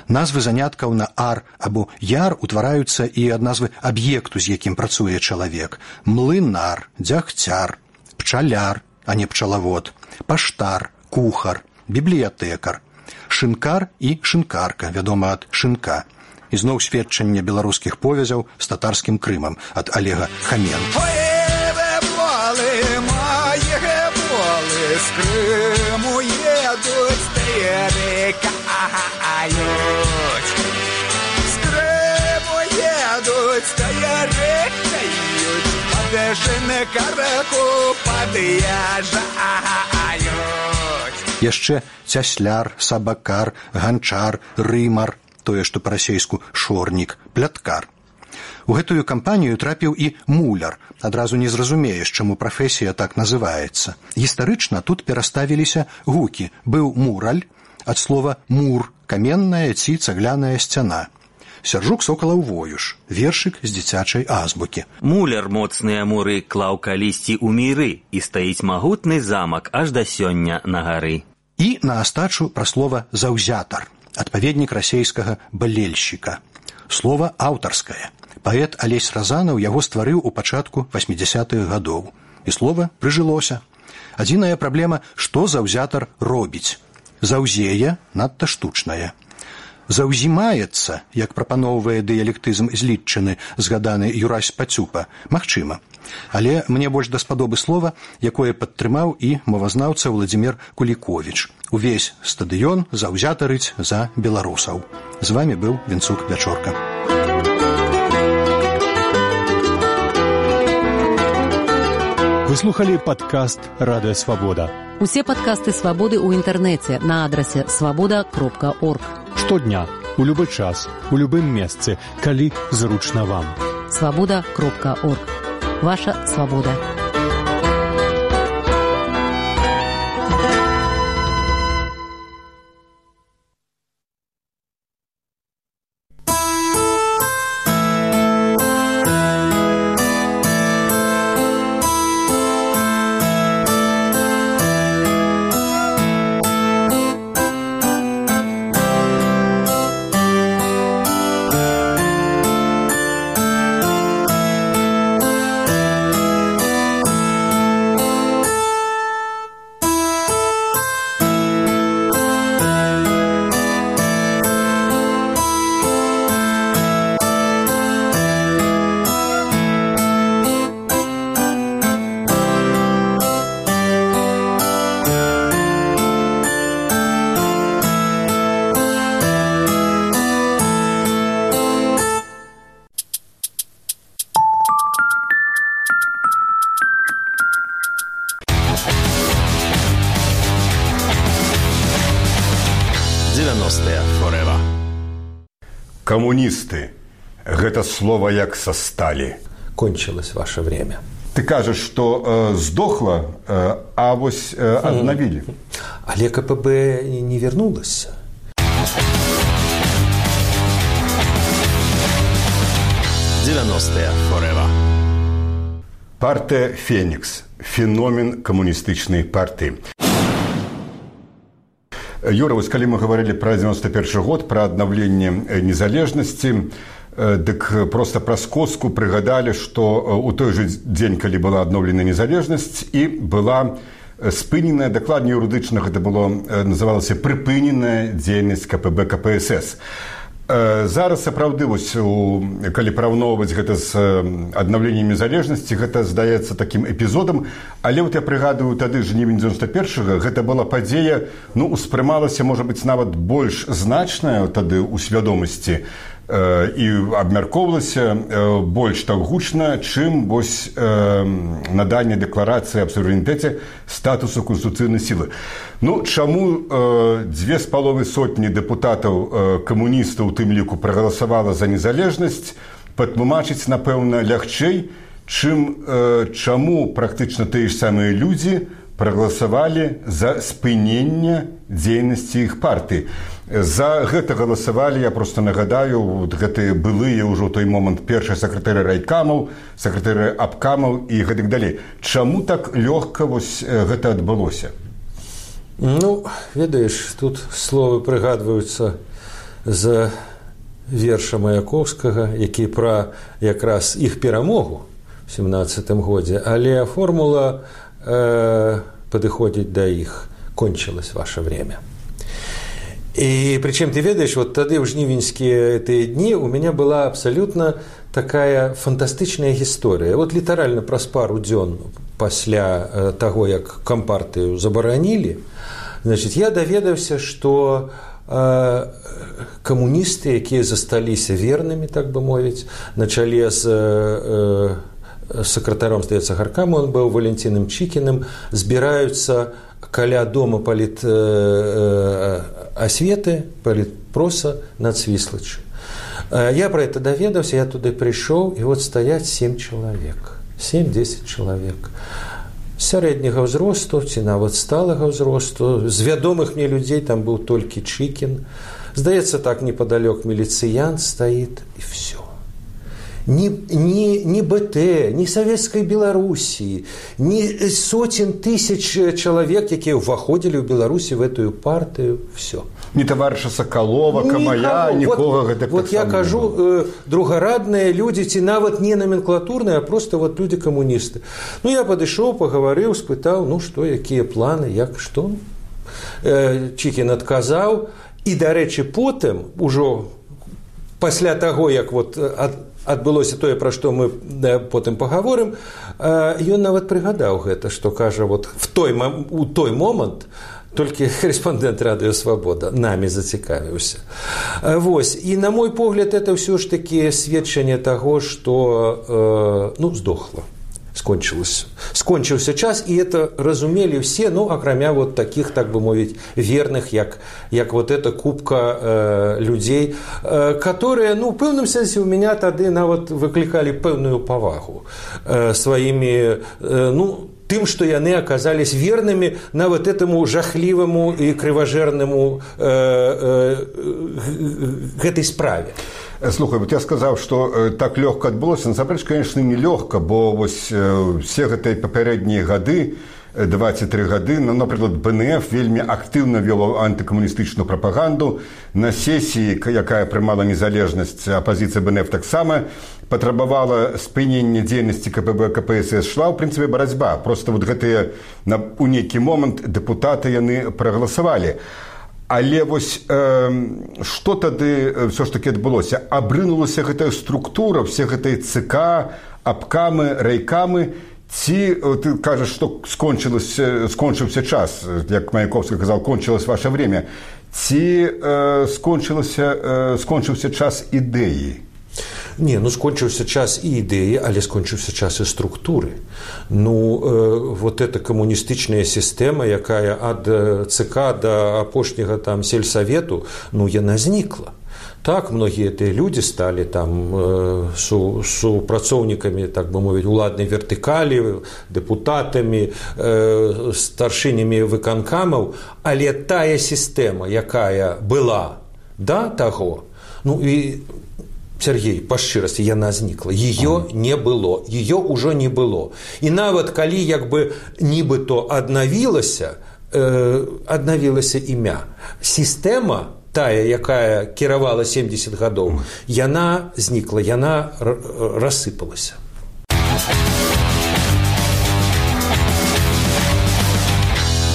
Назвы заняткаў на «ар» або «яр» утвараюцца і ад назвы аб'екту, з якім працуе чалавек. Млынар, дзягцяр, пчаляр, а не пчалавод, паштар, кухар, бібліятэкар, шынкар і шынкарка, вядома ад шынка. І зноў сведчанне беларускіх повязяў з татарскім Крымам ад Олега Хаменко. З Криму едуть, перекають. З Криму едуть, перекають. Подешене караку под'язджають. Яшчэ цясляр, сабакар, ганчар, рымар, тое, што па-расейску шорнік, пляткар. У гэтую кампанію трапіў і муляр. Адразу не зразумееш, чаму прафесія так называецца. Гістарычна тут пераставіліся гукі. Быў мураль, ад слова «мур» – каменная ці цагляная сцяна. Сяржук Сокалаў Воюш, вершык з дзіцячай азбукі. Муляр моцныя муры клаў калісьці ў міры, і стаіць магутны замак аж да сёння на гары. І на астачу пра слова «заўзятар», адпаведнік расейскага «балельшчыка». Слова аўтарскае. Паэт Алесь Разанаў яго стварыў у пачатку васьмідзясятых гадоў. І слова прыжылося. Адзіная праблема, што заўзятар робіць. Заўзее надта штучнае. Заўзімаецца, як прапаноўвае дыялектызм злітчыны, згаданы Юрась Пацюпа, магчыма. Але мне больш даспадобы слова, якое падтрымаў і мовазнаўца Владзімир Куліковіч. Увесь стадыён заўзятарыць за беларусаў. З вамі быў Вінцук Вячорка. Вы слухали падкаст «Радыё Свабода». Усе падкасты «Свабоды» ў інтэрнэце на адрасе свабода кропка орг. Штодня, у любы час, у любым месцы, калі зручна вам. свабода кропка орг. Ваша свабода. девяностые forever. Камуністы. Гэта слова як са сталі. Кончилось ваше время. Ты кажаш, што э, здохла, э, а вось э, аднавілі. Але КПБ не вернулась. девяностые forever. Партыя «Фенікс» – феномен камуністычнай партыі. Юра, вось калі мы гаварылі пра девяносто першы год, пра аднаўленне незалежнасці, дык проста праз коску прыгадалі, што ў той жа дзень, калі была адноўлена незалежнасць, і была спыненая, дакладней юрыдычна гэта было, называлася прыпыненая дзейнасць КПБ КПСС. Зараз, сапраўды, вось, калі параўноўваць гэта з аднаўленнем незалежнасці, гэта здаецца такім эпізодам, але вот я прыгадываю, тады жнівень девяносто першага гэта была падзея, ну, успрымалася, можа быць, нават больш значная тады ў свядомасці і абмяркоўвалася больш так гучна, чым вось наданне дэкларацыі аб суверэнітэце статусу канстытуцыйнай сілы. Ну, чаму дзве з паловай сотні дэпутатаў камуністаў у тым ліку прагаласавала за незалежнасць, патлумачыць, напэўна, лягчэй, чым чаму практычна тыя ж самыя людзі прагаласавалі за спыненне дзейнасці іх партыі. За гэта галасавалі, я проста нагадаю, вот гэтыя былыя ўжо той момант першыя сакратары райкамаў, сакратары абкамаў і гэтак далей. Чаму так лёгка вось гэта адбылося? Ну, ведаеш, тут словы прыгадваюцца з верша Маяковскага, які пра якраз іх перамогу ў семнадцатым годзе, але формула э, падыходзіць да іх. Кончилось ваше время. И причем, ты ведаешь, вот тогда в жнивеньские эти дни у меня была абсолютно такая фантастичная история. Вот литерально праз пару дзён пасля того, как компартию забаранили, значит, я доведался, что э, коммунисты, которые застались верными, так бы мовить, на чале с э, сакратаром, здаецца, гаркама, он был Валентином Чикиным, збираются каля дома паліт э, асветы, палітпроса над Свіслачы. Я про это доведался, я туда пришел, и вот стоять семь человек, семь-десять человек. Сярэдняга ўзросту, ці нават сталага ўзросту, з вядомых мне людзей там был только Чикин. Здаецца, так неподалёк милициянт стоит, и все. Ни, ни, ни БТ, ни Советской Белоруссии, ни сотен тысяч человек, которые входили в Беларуси в эту партию, все. Ни товарища Соколова, Камая, никого. Вот, вот я кажу, э, другарадные люди, ці нават не номенклатурные, а просто вот люди-коммунисты. Ну, я подошел, поговорил, спытал, ну, что, какие планы, як, что. Э, Чикин отказал. И, до речи, потом, уже после того, как вот от, адбылося тое, пра што мы потым пагаворым, ён нават прыгадаў гэта, што кажа, вот в той, у той момант толькі корэспандэнт радыё «Свабода» намі зацікавіўся. Вось. І, на мой погляд, это ўсё ж такі сведчанне таго, што ну, здохла. Скончилось. Скончился час, и это разумели все, ну, акрамя вот таких, так бы мовить, верных, як, як вот эта купка э, людей, э, которые, ну, в пэўным сэнсе у меня тады нават выкликали пэўную павагу э, своими, э, ну, тым, што яны аказались верными на вот этому жахливому и кривожерному э, э, гэтай справе. Слухай, вот я сказаў, што э, так лёгка адбылося. Насамрэч, конечно, не лёгка, бо вось э, все гэтыя папярэднія гады, двадцать три гады, ну, напрыклад, БНФ вельмі актыўна вёў антыкамуністычную прапаганду. На сесіі, якая прымала незалежнасць, апазіцыя БНФ таксама патрабавала спынення дзейнасці КПБ КПСС. Шла, ў прынцыпе, барацьба. Просто вот гэтыя на, у нейкі момант дэпутаты яны прагаласавалі. Але вось э, што тады ўсё ж такі адбылося? Абрынулася гэтая структура, все гэтыя ЦК, абкамы, райкамы, ці ты кажаш, што скончыўся час, як Маяковскі казаў, кончилось ваше время, ці э, скончыўся, э, скончыўся час ідэі? Не, ну скончыўся час і ідэі, але скончыўся час і структуры. Ну, э, вот эта камуністычная сістэма, якая ад ЦК да апошняга там сельсавету, ну, яна знікла. Так, многія тыя людзі сталі там э, су, супрацоўнікамі, так бы мовіць, уладнай вертыкалі, дэпутатамі, э, старшынямі выканкамаў, але тая сістэма, якая была да таго, ну і Сергей, па шчырасці, яна знікла. Ее не было, ее ўжо не было. І нават калі як бы нібыто аднавілася, э, аднавілася імя, сістэма тая, якая кіравала семьдесят гадоў, яна знікла, яна рассыпалася.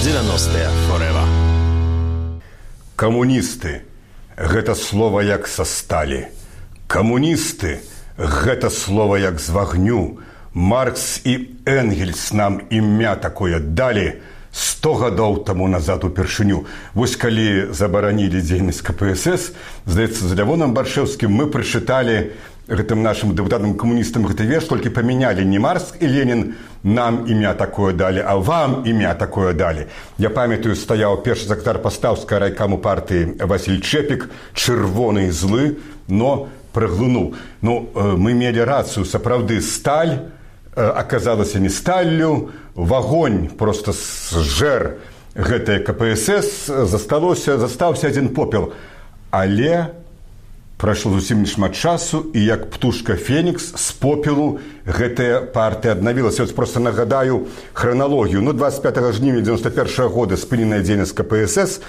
девяностые forever. Камуністы – гэта слова як са сталі. Камуністы – гэта слова як з вагню. Маркс і Энгельс нам імя такое далі сто гадоў таму назад упершыню. Вось калі забаранілі дзейнасць ка пэ эс эс, здаецца, з Лявонам Баршэўскім мы прачыталі гэтым нашым дэпутатам камуністам гэты верш, толькі памянялі не Маркс і Ленін нам імя такое далі, а вам імя такое далі. Я памятаю, стаяў першы сакратар пастаўскага райкаму партыі Васіль Чэпік, чырвоны і злы, но праглынуў. Ну, мы мелі рацыю, сапраўды сталь аказалася не сталлю, вагонь просто зжэр гэтае ка пэ эс эс, засталося, застаўся адзін попел. Але прайшло зусім нешмат часу, і як птушка Фенікс з попелу гэтая партыя аднавілася. Ось просто нагадаю храналогію. Ну, двадцать пятого жніўня девяносто первого года спыненая дзейнасць ка пэ эс эс,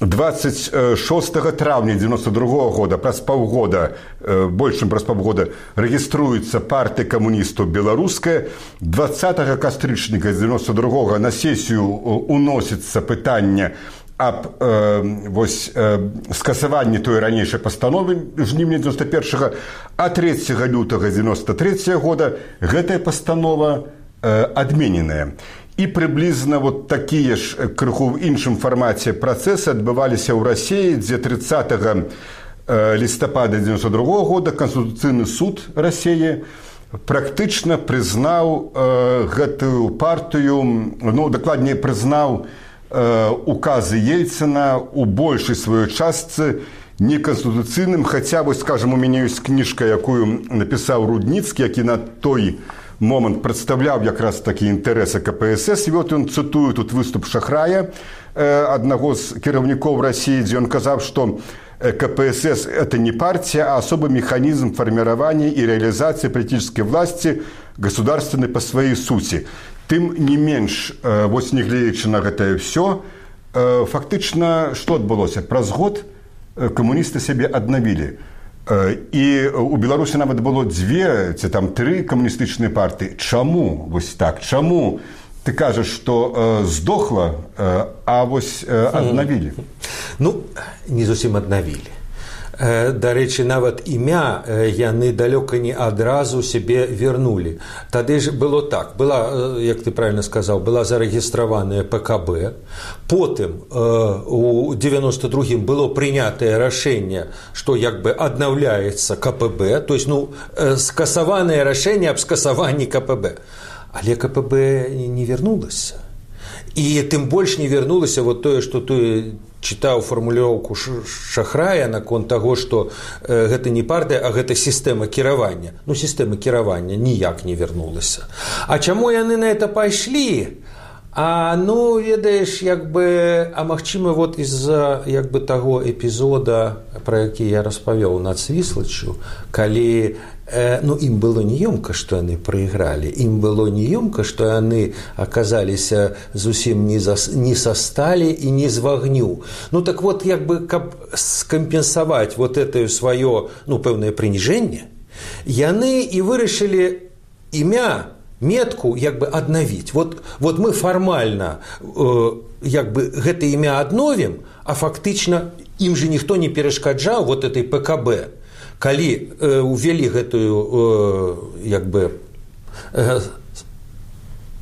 двадцать шестого траўня девяносто другого года, праз паўгода, больш чым праз паўгода, рэгіструецца партыя камуністаў беларуская. двадцатого кастрычніка девяносто другого на сесію уносіцца пытанне аб э, вось, э, скасаванні той ранейшай пастановы жніўня девяносто первого, а трэцяга лютага девяносто третьего года гэтая пастанова э, адмененая. І прыблізна вот такія ж крыху ў іншым фармаце працэсы адбываліся ў Расіі, дзе тридцатого лістапада девяносто другого года Канстытуцыйны суд Расіі практычна прызнаў э, гэтую партыю, ну, дакладней прызнаў э, указы Ельцына у большай сваёй частцы неканстытуцыйным, хаця, вось, скажам, у мяне ёсць кніжка, якую напісаў Рудніцкі, які на той момент прадстаўляў якраз такі інтарэсы ка пэ эс эс. І вот ён цытую тут выступ Шахрая, э, аднаго з кіраўнікоў Расіі, дзе ён казаў, што ка пэ эс эс – это не партия, а особый механизм формирования и реализации политической власти государственной по своей сути. Тым не менш, э, вось не гледзячы на гэтае ўсё, э, фактычна што адбылося? Праз год камуністы сябе аднавілі. І у Беларусі нават было дзве ці там тры камуністычныя партыі. Чаму вось так? Чаму ты кажаш, што э, здохла, э, а вось э, аднавілі? Ну, не зусім аднавілі. Дарэчы, нават імя яны далёка не адразу сябе вярнулі. Тады ж было так. Была, як ты правильно сказаў, была зарэгістраваная пэ ка бэ. Потым у девяносто другім было прынятае рашэнне, што як бы аднаўляецца ка пэ бэ, то есть, ну, скасаванае рашэнне аб скасаванні ка пэ бэ. Але ка пэ бэ не вярнулася. І тым больш не вярнулася вот тое, што ты чытаў фармулёўку Шахрая наконт таго, што э, гэта не партыя, а гэта сістэма кіравання. Ну, сістэма кіравання ніяк не вярнулася. А чаму яны на это пайшлі? А, ну, ведаеш, як бы, а магчыма, вот из-за як бы таго эпізода, пра які я распавёў над Свіслаччу, калі э, ну, ім было неёмка, што яны прайгралі, ім было неёмка, што яны аказаліся зусім не, за, не са сталі і не з вагню. Ну, так вот, як бы, каб скампенсаваць вот это сваё, ну, пэўнае прыніжэнне, яны і вырашылі імя, метку як бы аднавіць. Вот, вот мы фармальна э, як бы гэта імя адновім, а фактычна ім же ніхто не перашкаджаў вот этой пэ ка бэ. Калі э, увялі гэтую э, як бы э,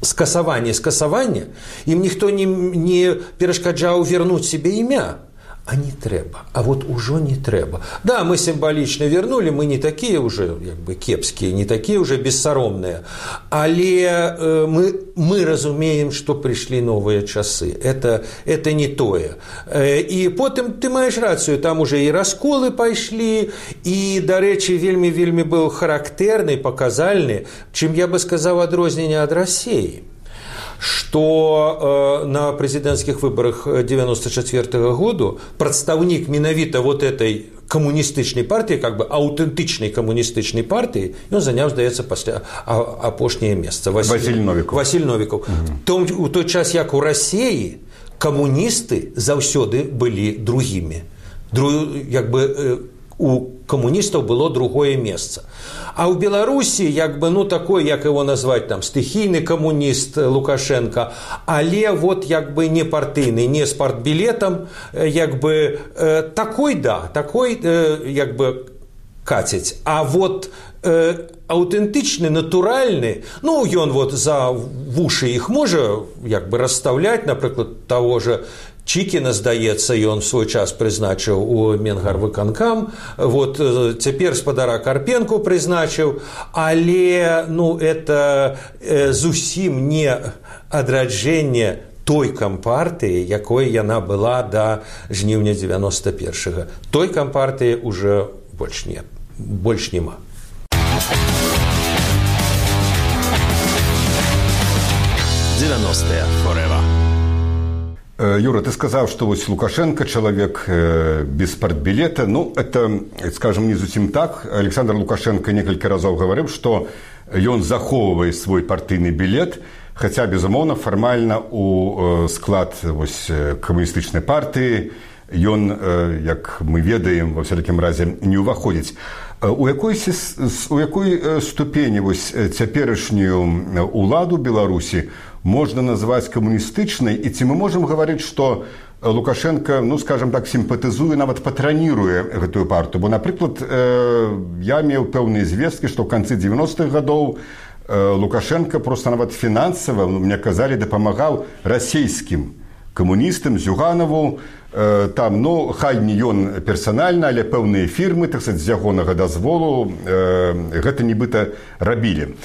скасаванне скасавання, ім ніхто не, не перашкаджаў вернуць сябе імя. а не трэба, а вот ужо не трэба. Да, мы сімвалічна вернули, мы не такія уже як бы кепскія, не такія уже бессаромныя, але э, мы, мы разумеем, што прыйшлі новыя часы. Это, это не тое. Э, і потым ты маеш рацыю, там уже і расколы пайшлі, і, дарэчы, вельмі-вельмі быў характэрны, паказальны, чым я бы сказаў адрозненне ад Расіі. Что э, на президентских выборах девяносто четвёртого года представник менавіта вот этой коммунистычной партии, как бы аутентичной коммунистычной партии, он занял, здаецца, пасля апошняе месца. Василь, Василь Новиков. Василь Новиков. Угу. Том, у той час, як у России, коммунисты заўсёды были другими. Дру, як бы, э, у коммунистов было другое место. А у Беларуси, як бы, ну, такой, як его назвать, там, стихийный коммунист Лукашенко, але вот, як бы, не партийный, не с партбилетом, як бы, э, такой, да, такой, э, як бы, катить. А вот э, аутентичный, натуральный, ну, ён вот за вуши их можа, як бы, расставлять, например, того же Чікіна, здаецца, ён в свой час прызначыў у Менгарвыканкам, вот цяпер спадара Карпенку прызначыў, але, ну, это э, зусім не адраджэнне той кампартыі, якой яна была да жніўня девяносто першага. Той кампартыі уже больш не, больш нема. девяностые forever. Юра, ты сказал, что вот Лукашенко человек без партбилета. Ну, это, скажем, не совсем так. Александр Лукашенко несколько раз говорил, что он заховывает свой партийный билет, хотя, безумовно, формально у склад вось, коммунистичной партии он, как мы ведаем, во всяком разе, не уваходит. У якой, у якой ступені вось цяперашнюю уладу Беларусі можно назвать коммунистичной, и ці мы можем говорить, что Лукашенко, ну, скажем так, симпатизуе, нават патраніруе гэтую партию. Бо, например, я имел пэўныя звесткі, что в конце девяностых годов Лукашенко просто нават финансово, мне казали, дапамагаў расійскім коммунистам, Зюганову, там, ну, хай не ён персанальна, але пэўныя фірмы, так сказать, з ягонага дазволу гэта нібыта рабілі.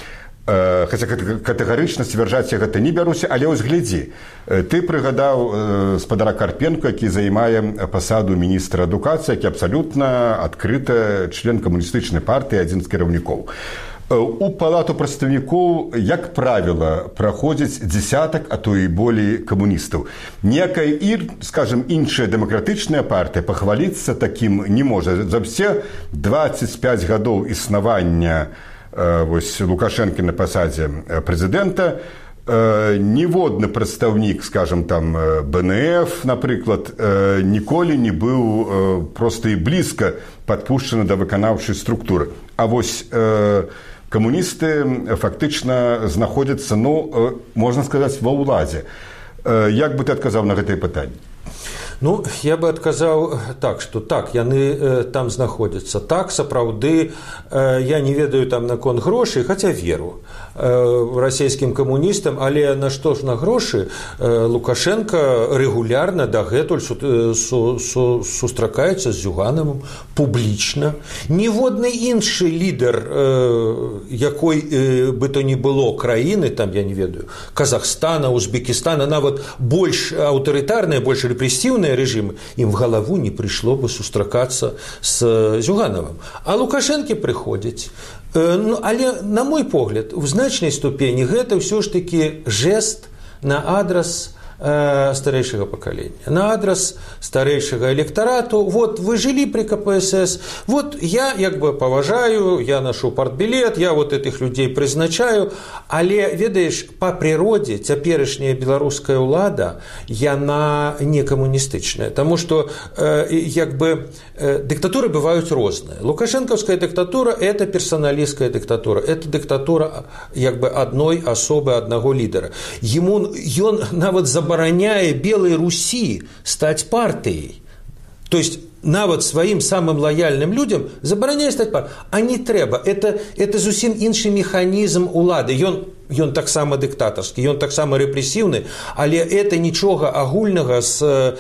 Хаця катэгарычна сцвярджаць я гэта не бяруся, але ось глядзі. Ты прыгадаў спадара Карпенко, які займае пасаду міністра адукацыі, які абсалютна адкрыта член камуністычнай партыі, адзін з кіраўнікоў. У палату прадстаўнікоў, як правіла, праходзіць дзесятак, а то і болей камуністаў. Ніякая, скажем, іншая дэмакратычная партыя пахваліцца такім не можа. За все двадцать пять гадоў існавання вось, Лукашэнкі на пасадзе прэзідэнта ніводны прадстаўнік, скажем, там, бэ эн эф, напрыклад, ніколі не быў проста і блізка падпушчаны да выканаўчай структуры. А вось камуністы фактычна знаходзяцца, ну, можна сказаць, ва ўладзе. Як бы ты адказаў на гэтае пытанне? Ну, я бы адказаў так, што так, яны э, там знаходзяцца. Так, сапраўды, э, я не ведаю там наконт грошай, хаця веру э, расійскім камуністам, але на што ж на грошы э, Лукашенко рэгулярна дагэтуль су, су, су, сустракаецца з Зюгановым публічна. Ніводны іншы лідар э, якой э, бы то не было краіны, там, я не ведаю, Казахстана, Узбекистана, нават больш аўтарытарныя, больш рэпрэсіўныя режимы, им в голову не пришло бы сустракаться с Зюгановым. А Лукашенко приходит. Ну, але, на мой погляд, в значной ступени это все ж таки жест на адрес э, старейшего поколения, на адрес старейшего электорату. Вот вы жили при ка пэ эс эс, вот я як бы поважаю, я ношу партбилет, я вот этих людей призначаю, але, ведаеш, по природе цяперашняя беларуская ўлада, яна не камуністычная, потому что э, як бы э, диктатуры бывают розныя. Лукашенковская диктатура – это персоналистская диктатура, это диктатура як бы одной особы, одного лидера. Ему, ён нават забараняе Белой Руси стать партией. То есть нават сваім самым лояльным людям забараняе стаць партыяй. А не трэба. Это, это зусім іншы механізм улады. Ён ён таксама дыктатарскі, ён таксама рэпрэсіўны, але это нічога агульнага з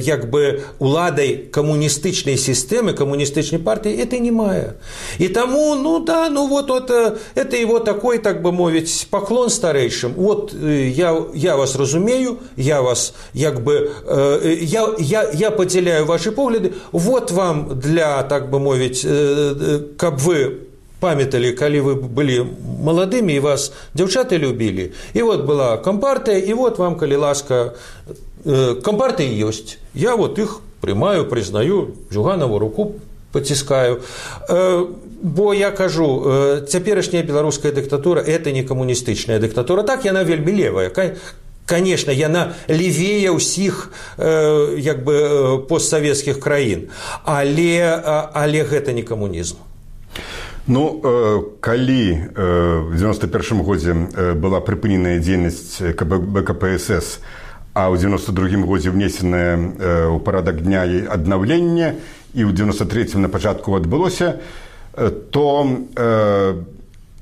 як бы уладай камуністычнай сістэмы, камуністычнай партыі, это не мае. І таму, ну да, ну вот, вот это его такой, так бы мовіць, паклон старэйшым. Вот я, я вас разумею, я вас як бы, я, я, я падзяляю ваши погляды, вот вам для, так бы мовіць, каб вы памяталі, калі вы былі маладымі і вас дзяўчаты любілі. І вот была кампартыя, і вот вам, калі ласка, кампартыя ёсць. Я вот іх прымаю, прызнаю, Зюганову руку паціскаю. Бо я кажу, цяперашняя беларуская дыктатура – это не камуністычная дыктатура. Так, яна вельмі левая. Конечно, яна левее ўсіх як бы постсавецкіх краін. Але, але гэта не камунізм. Ну, калі в девяносто первом годзе была прыпыненая дзейнасць бэ ка пэ эс эс, а ў девяносто другім годзе внесенае ў парадак дня і аднаўленне, і ў девяносто третьем на пачатку адбылося, то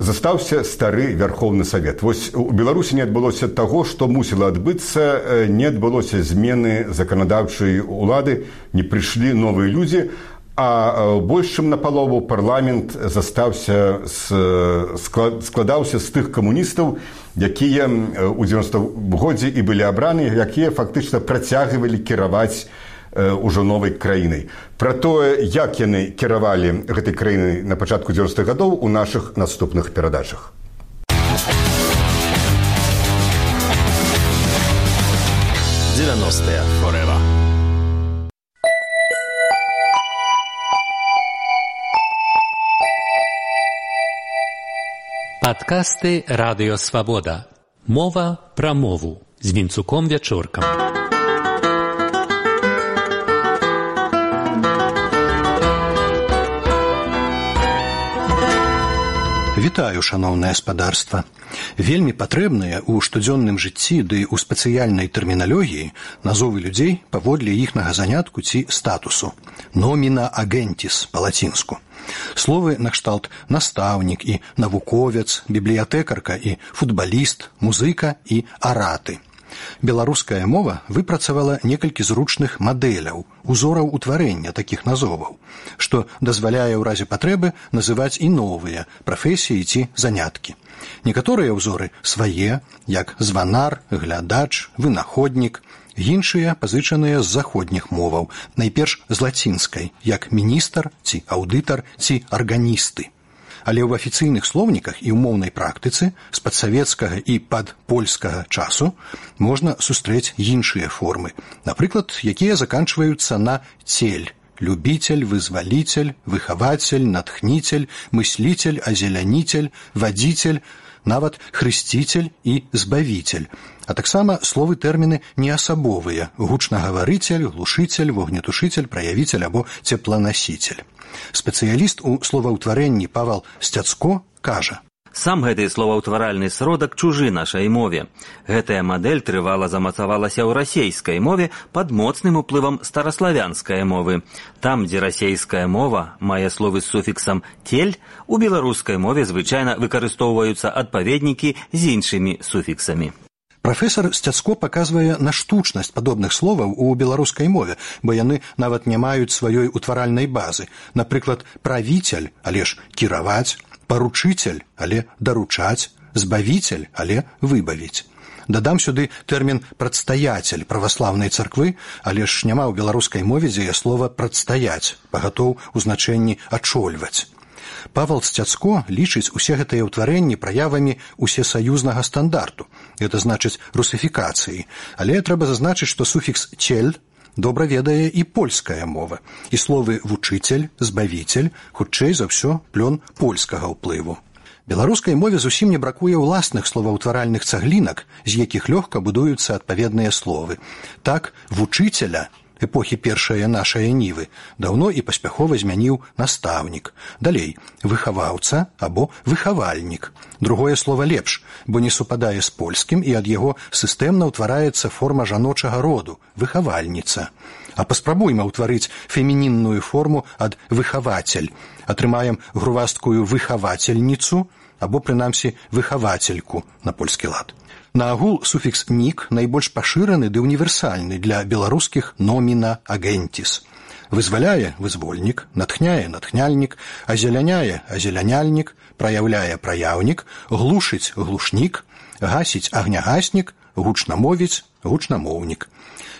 застаўся стары Вярхоўны Савет. Вось у Беларусі не адбылося таго, што мусіла адбыцца, не адбылося змены заканадаўчай улады, не прыйшлі новыя людзі, а больш чым напалову парламент застаўся, складаўся з тых камуністаў, якія ў девяностом годзе і былі абраны, якія фактычна працягвалі кіраваць ужо новай краінай. Пра тое, як яны кіравалі гэтай краінай на пачатку девяностых гадоў у нашых наступных перадачах. девяностые forever. Падкасты Радыё Свабода. Мова пра мову з Вінцуком Вячоркам. Вітаю, шаноўнае спадарства. Вельмі патрэбныя ў штодзённым жыцці ды ў спецыяльнай тэрміналогіі назовы людзей паводле іхнага занятку ці статусу. Номіна агентіс па-лацінску. Словы накшталт настаўнік і навуковец, бібліятэкарка і футбаліст, музыка і араты. Беларуская мова выпрацавала некалькі зручных мадэляў, узораў утварэння такіх назоваў, што дазваляе ў разе патрэбы называць і новыя прафесіі ці заняткі. Некаторыя ўзоры свае, як званар, глядач, вынаходнік, іншыя пазычаныя з заходніх моваў, найперш з лацінскай, як міністр ці аўдытар ці арганісты. Але ў афіцыйных слоўніках і ў моўнай практыцы з падсавецкага і падпольскага часу можна сустрэць іншыя формы, напрыклад, якія заканчваюцца на цель, любитель, вызвалитель, выхаватель, натхнитель, мыслитель, озеляніцель, вадзіцель, нават хрысціцель і збавіцель. А таксама словы-тэрміны неасабовыя – гучнагаварыцель, глушыцель, вогнетушыцель, праявіцель або цепланасіцель. Спецыяліст у словаўтварэнні Павал Сцяцко кажа: Сам гэты словаўтваральны сродак чужы нашай мове. Гэтая мадэль трывала замацавалася ў расейскай мове пад моцным уплывам стараславянскай мовы. Там, дзе расейская мова мае словы з суфіксам «тель», у беларускай мове звычайна выкарыстоўваюцца адпаведнікі з іншымі суфіксамі. Прафесар Сцяцко паказвае на штучнасць падобных словаў у беларускай мове, бо яны нават не маюць сваёй утваральнай базы. Напрыклад, правіцель, але ж кіраваць, паручыцель, але даручаць, збавіцель, але выбавіць. Дадам сюды тэрмін «прадстаяцель» праваслаўнай царквы, але ж няма ў беларускай мове дзея слова «прадстаяць», пагатоў у значэнні «ачольваць». Павал Сцяцко лічыць усе гэтыя ўтварэнні праявамі усесаюзнага стандарту, гэта значыць русыфікацыі, але трэба зазначыць, што суфікс «цель» добра ведае і польская мова, і словы «вучыцель», «збавіцель» хутчэй за ўсё плён польскага ўплыву. Беларускай мове зусім не бракуе ўласных словаўтваральных цаглінак, з якіх лёгка будуюцца адпаведныя словы. Так, «вучыцеля» эпохі першае нашае нівы даўно і паспяхова змяніў настаўнік. Далей, выхаваўца або выхавальнік. Другое слова лепш, бо не супадае з польскім і ад яго сістэмна ўтвараецца форма жаночага роду – выхавальніца. А паспрабуйма ўтварыць фемінінную форму ад выхавацель. Атрымаем грувасткую выхавацельніцу, або, прынамсі, выхавацельку на польскі лад. Наагул суфікс «нік» найбольш пашыраны ды універсальны для беларускіх «номіна агентіс». Вызваляе – вызвольнік, натхняе – натхняльнік, азеляняе – азеляняльнік, праяўляе – праяўнік, глушыць – глушнік, гасіць – агнягаснік, гучнамовіць – гучнамоўнік.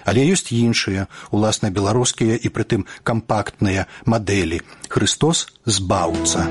Але ёсць іншыя, уласна беларускія і прытым кампактныя мадэлі. Хрыстос – збаўца.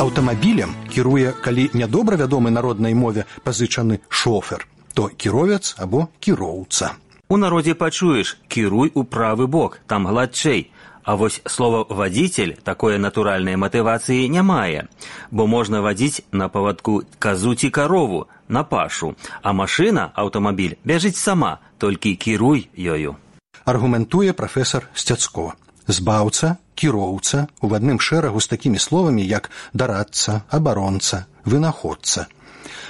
Аўтамабілем кіруе, калі нядобра вядомы народнай мове пазычаны шофер, то кіровец або кіроўца. У народзе пачуеш «кіруй у правы бок», там гладчэй. А вось слова «вадзіцель» такое натуральнай матывацыі не мае, бо можна вадзіць на павадку казу ці карову, на пашу, а машына, аўтамабіль, бяжыць сама, толькі кіруй ёю. Аргументуе прафесар Сцяцко. Збаўца, кіроўца у адным шэрагу з такімі словамі, як дарадца, абаронца, вынаходца.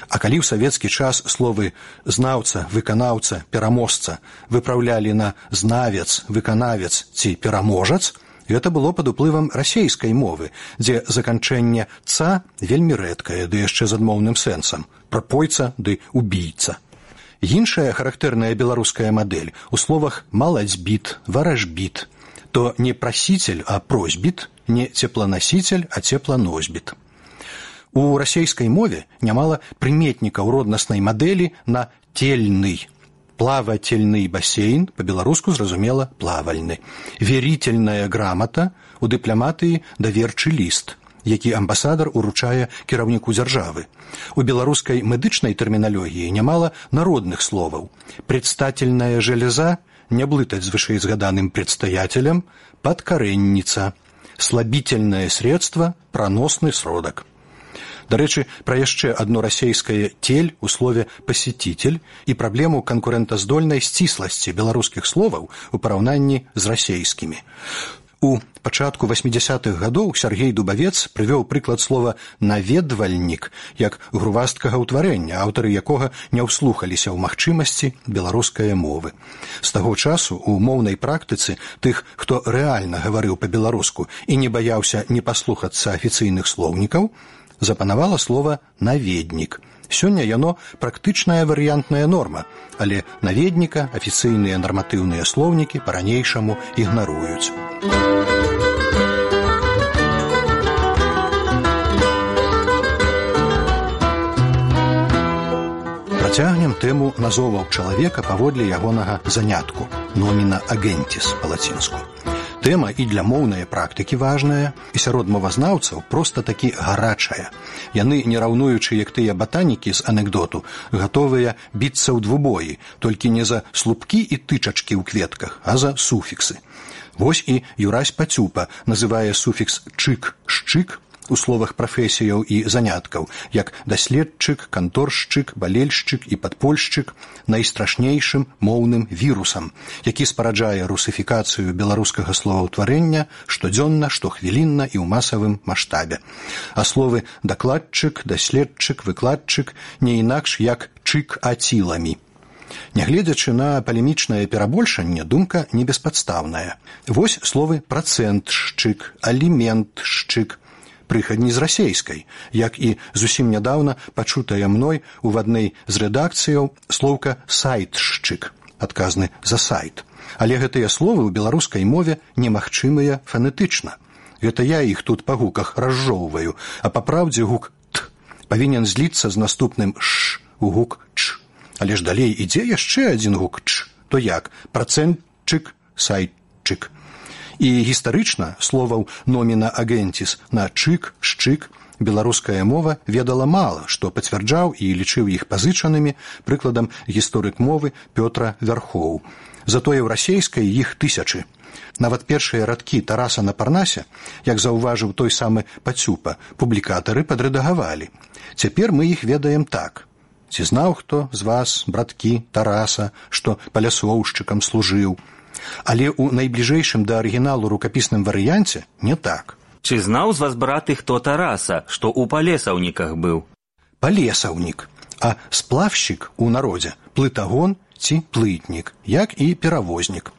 А калі ў савецкі час словы знаўца, выканаўца, пераможца выпраўлялі на знавец, выканавец ці пераможац, гэта было пад уплывам расейскай мовы, дзе заканчэнне «ца» вельмі рэдкае, ды яшчэ з адмоўным сэнсам, прапойца ды убійца. Іншая характэрная беларуская мадэль у словах «маладзьбіт», «варажбіт», то не прасіцель, а просьбіт, не цепланасіцель, а цепланосьбіт. У расейскай мове нямала прыметнікаў роднаснай мадэлі на тельны. Плавательны басейн, па-беларуску зразумела плавальны. Верительная грамата, у дыпламатыі даверчы ліст, які амбасадар уручае кіраўніку дзяржавы. У беларускай медычнай тэрміналогіі нямала народных словаў. Предстательная железа, не блытаць з вышэйзгаданым предстоятелем, подкоренница, слабительное средство, проносный сродак. Дарэчы, пра яшчэ адно расейскае «тель» у слове «пасетитель» і праблему канкурэнтаздольнай сцісласці беларускіх словаў у параўнанні з расейскімі. У пачатку васьмідзясятых гадоў Сяргей Дубавец прывёў прыклад слова «наведвальнік» як грувасткага ўтварэння, аўтары якога не ўслухаліся ў магчымасці беларускай мовы. З таго часу у моўнай практыцы тых, хто рэальна гаварыў па-беларуску і не баяўся не паслухацца афіцыйных слоўнікаў, запанавала слова «наведнік». Сёння яно практычная варыянтная норма, але наведніка афіцыйныя нарматыўныя слоўнікі па-ранейшаму ігнаруюць. Працягнем тэму назоваў чалавека паводле ягонага занятку «номіна агентіс» па-лацінску. Тэма і для моўнай практыкі важная, і сярод мовазнаўцаў проста такі гарачая. Яны, не раўнуючы, як тыя батанікі з анекдоту, гатовыя біцца ў двубоі, толькі не за слупкі і тычачкі ў кветках, а за суфіксы. Вось і Юрась Пацюпа называе суфікс «чык», «шчык» у словах прафесіяў і заняткаў, як даследчык, канторшчык, балельшчык і падпольшчык найстрашнейшым моўным вірусам, які спараджае русыфікацыю беларускага словаўтварэння штодзённа, штохвілінна і ў масавым маштабе. А словы дакладчык, даследчык, выкладчык не інакш як чык-аціламі. Нягледзячы на палемічнае перабольшанне, думка не беспадстаўная. Вось словы працэнтшчык, аліментшчык, прыхадні з расейскай, як і зусім нядаўна пачутая мной у адной з рэдакцыяў слоўка «сайтшчык», адказны за сайт. Але гэтыя словы ў беларускай мове немагчымыя фанетычна. Гэта я іх тут па гуках разжоўваю, а па праўдзе гук «т» павінен зліцца з наступным «ш» у гук «ч». Але ж далей ідзе яшчэ адзін гук «ч», то як працэнтчык, сайтчык. І гістарычна словаў «номіна агентіс» на «чык», «шчык» беларуская мова ведала мала, што пацвярджаў і лічыў іх пазычанымі, прыкладам гісторык мовы Пётра Вярхоў. Затое ў расейскай іх тысячы. Нават першыя радкі Тараса на Парнасе, як заўважыў той самы Пацюпа, публікатары падрэдагавалі. Цяпер мы іх ведаем так. Ці знаў хто з вас, браткі, Тараса, што палясоўшчыкам служыў? Але ў найбліжэйшым да арыгіналу рукапісным варыянце не так. Чи знаў з вас, браты, хто Тараса, што ў палесаўніках быў? палесаўнік, а сплавшчык у народзе плытагон ці плытнік, як і перавознік.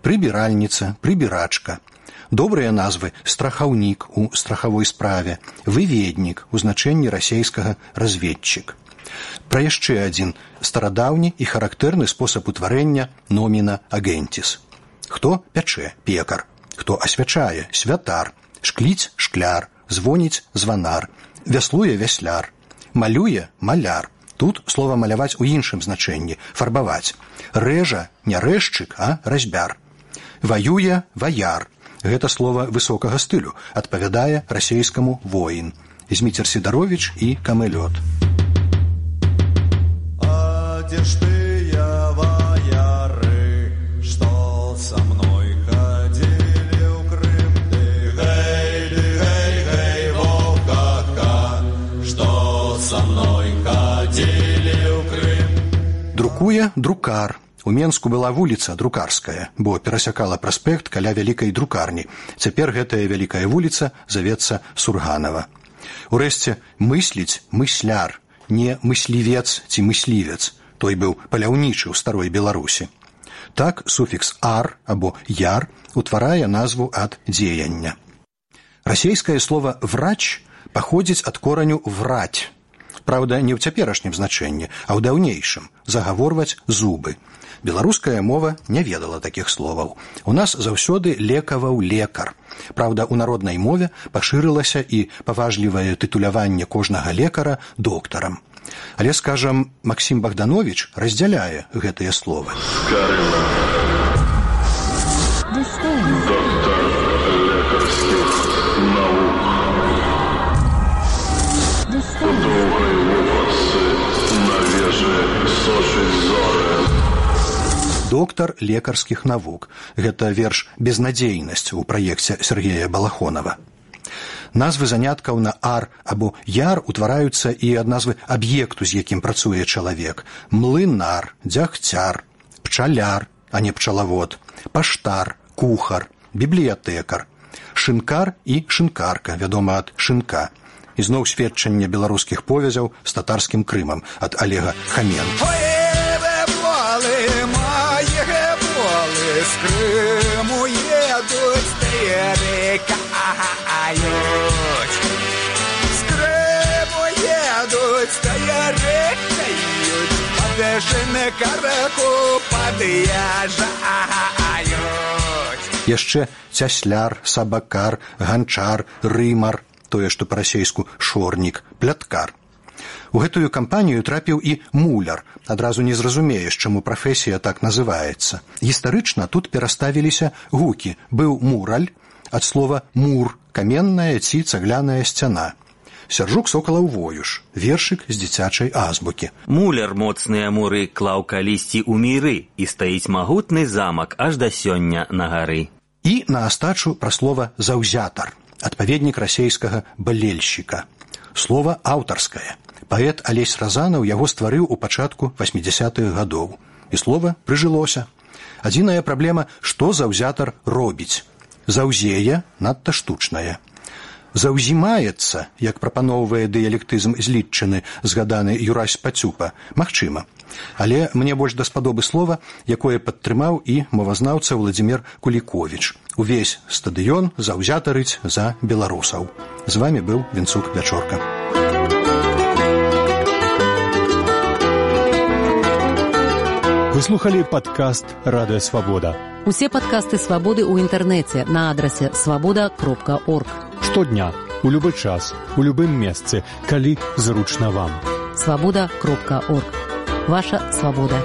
Прыбіральніца, прыбірачка. Добрыя назвы страхаўнік у страхавой справе, выведнік у значэнні расейскага разведчык. Пра яшчэ адзін старадаўні і характэрны спосаб утварэння номіна агентіс. Хто пячэ – пекар, хто асвячае – святар, шкліць – шкляр, звоніць – званар, вяслуе – вясляр, малюе – маляр. Тут слова маляваць у іншым значэнні – фарбаваць. Рэжа – не рэзчык, а разьбяр. Ваюе – ваяр. Гэта слова высокага стылю, адпавядае расейскаму воін. Зміцер Сідаровіч і Камэлёт. А дзе ж тыя ваяры, што са мной хадзілі ў Крым? Ды гэй, ды гэй, гэй, вовка, што са мной хадзілі ў Крым? Друкуе друкар. У Менску была вуліца Друкарская, бо перасякала праспект каля вялікай друкарні. Цяпер гэтая вялікая вуліца завецца Сурганава. Урэшце, мысліць – мысляр, не мыслівец ці мыслівец. Той быў паляўнічы ў старой Беларусі. Так суфікс «ар» або «яр» утварае назву ад дзеяння. Расейскае слова «врач» паходзіць ад кораню «враць». Праўда, не ў цяперашнім значэнні, а ў даўнейшым – загаворваць зубы. Беларуская мова не ведала такіх словаў. У нас заўсёды лекаваў лекар. Праўда, у народнай мове пашырылася і паважлівае тытуляванне кожнага лекара доктарам. Але, скажам, Максім Богданович раздзяляе гэтыя словы. Карына. Доктор лекарскіх навук. У доўгай вопратцы на вежы сочыць зоры. Доктар лекарскіх навук. Гэта верш «Безнадзейнасць» у праекце Сергея Балахонова. Назвы заняткаў на «ар» або «яр» утвараюцца і ад назвы аб'екту, з якім працуе чалавек. Млынар, дзягцяр, пчаляр, а не пчалавод, паштар, кухар, бібліятэкар, шынкар і шынкарка, вядома ад шынка. Ізноў сведчанне беларускіх повязяў з татарскім Крымам ад Олега Хаменко. З Криму едуть, перекають. З Криму едуть, перекають. Подешене караку под'їжджають. Яшчэ цясляр, сабакар, ганчар, рымар, тое, што па-расейску шорнік, пляткар. У гэтую кампанію трапіў і муляр. Адразу не зразумееш, чаму прафесія так называецца. Гістарычна тут пераставіліся гукі. Быў мураль, ад слова мур, каменная ці цагляная сцяна. Сяржук Сокалаў Воюш, вершык з дзіцячай азбукі. Муляр моцныя муры клаў калісьці ў міры, і стаіць магутны замак аж да сёння на гары. І на астачу пра слова «заўзятар», адпаведнік расейскага «балельшчыка». Слова аўтарскае. Паэт Алесь Разанаў яго стварыў у пачатку васьмідзясятых гадоў. І слова прыжылося. Адзіная праблема, што заўзятар робіць. Заўзее надта штучнае. Заўзімаецца, як прапаноўвае дыялектызм злітчыны, згаданы Юрась Пацюпа, магчыма. Але мне больш даспадобы слова, якое падтрымаў і мовазнаўца Владзімір Куліковіч. Увесь стадыён заўзятарыць за беларусаў. З вамі быў Вінцук Вячорка. Вы слухали падкаст «Радыё Свабода». Усе падкасты «Свабоды» ў інтэрнэце на адрасе свабода кропка орг. Штодня, у любы час, у любым месцы, калі зручна вам. свабода кропка орг. Ваша свабода.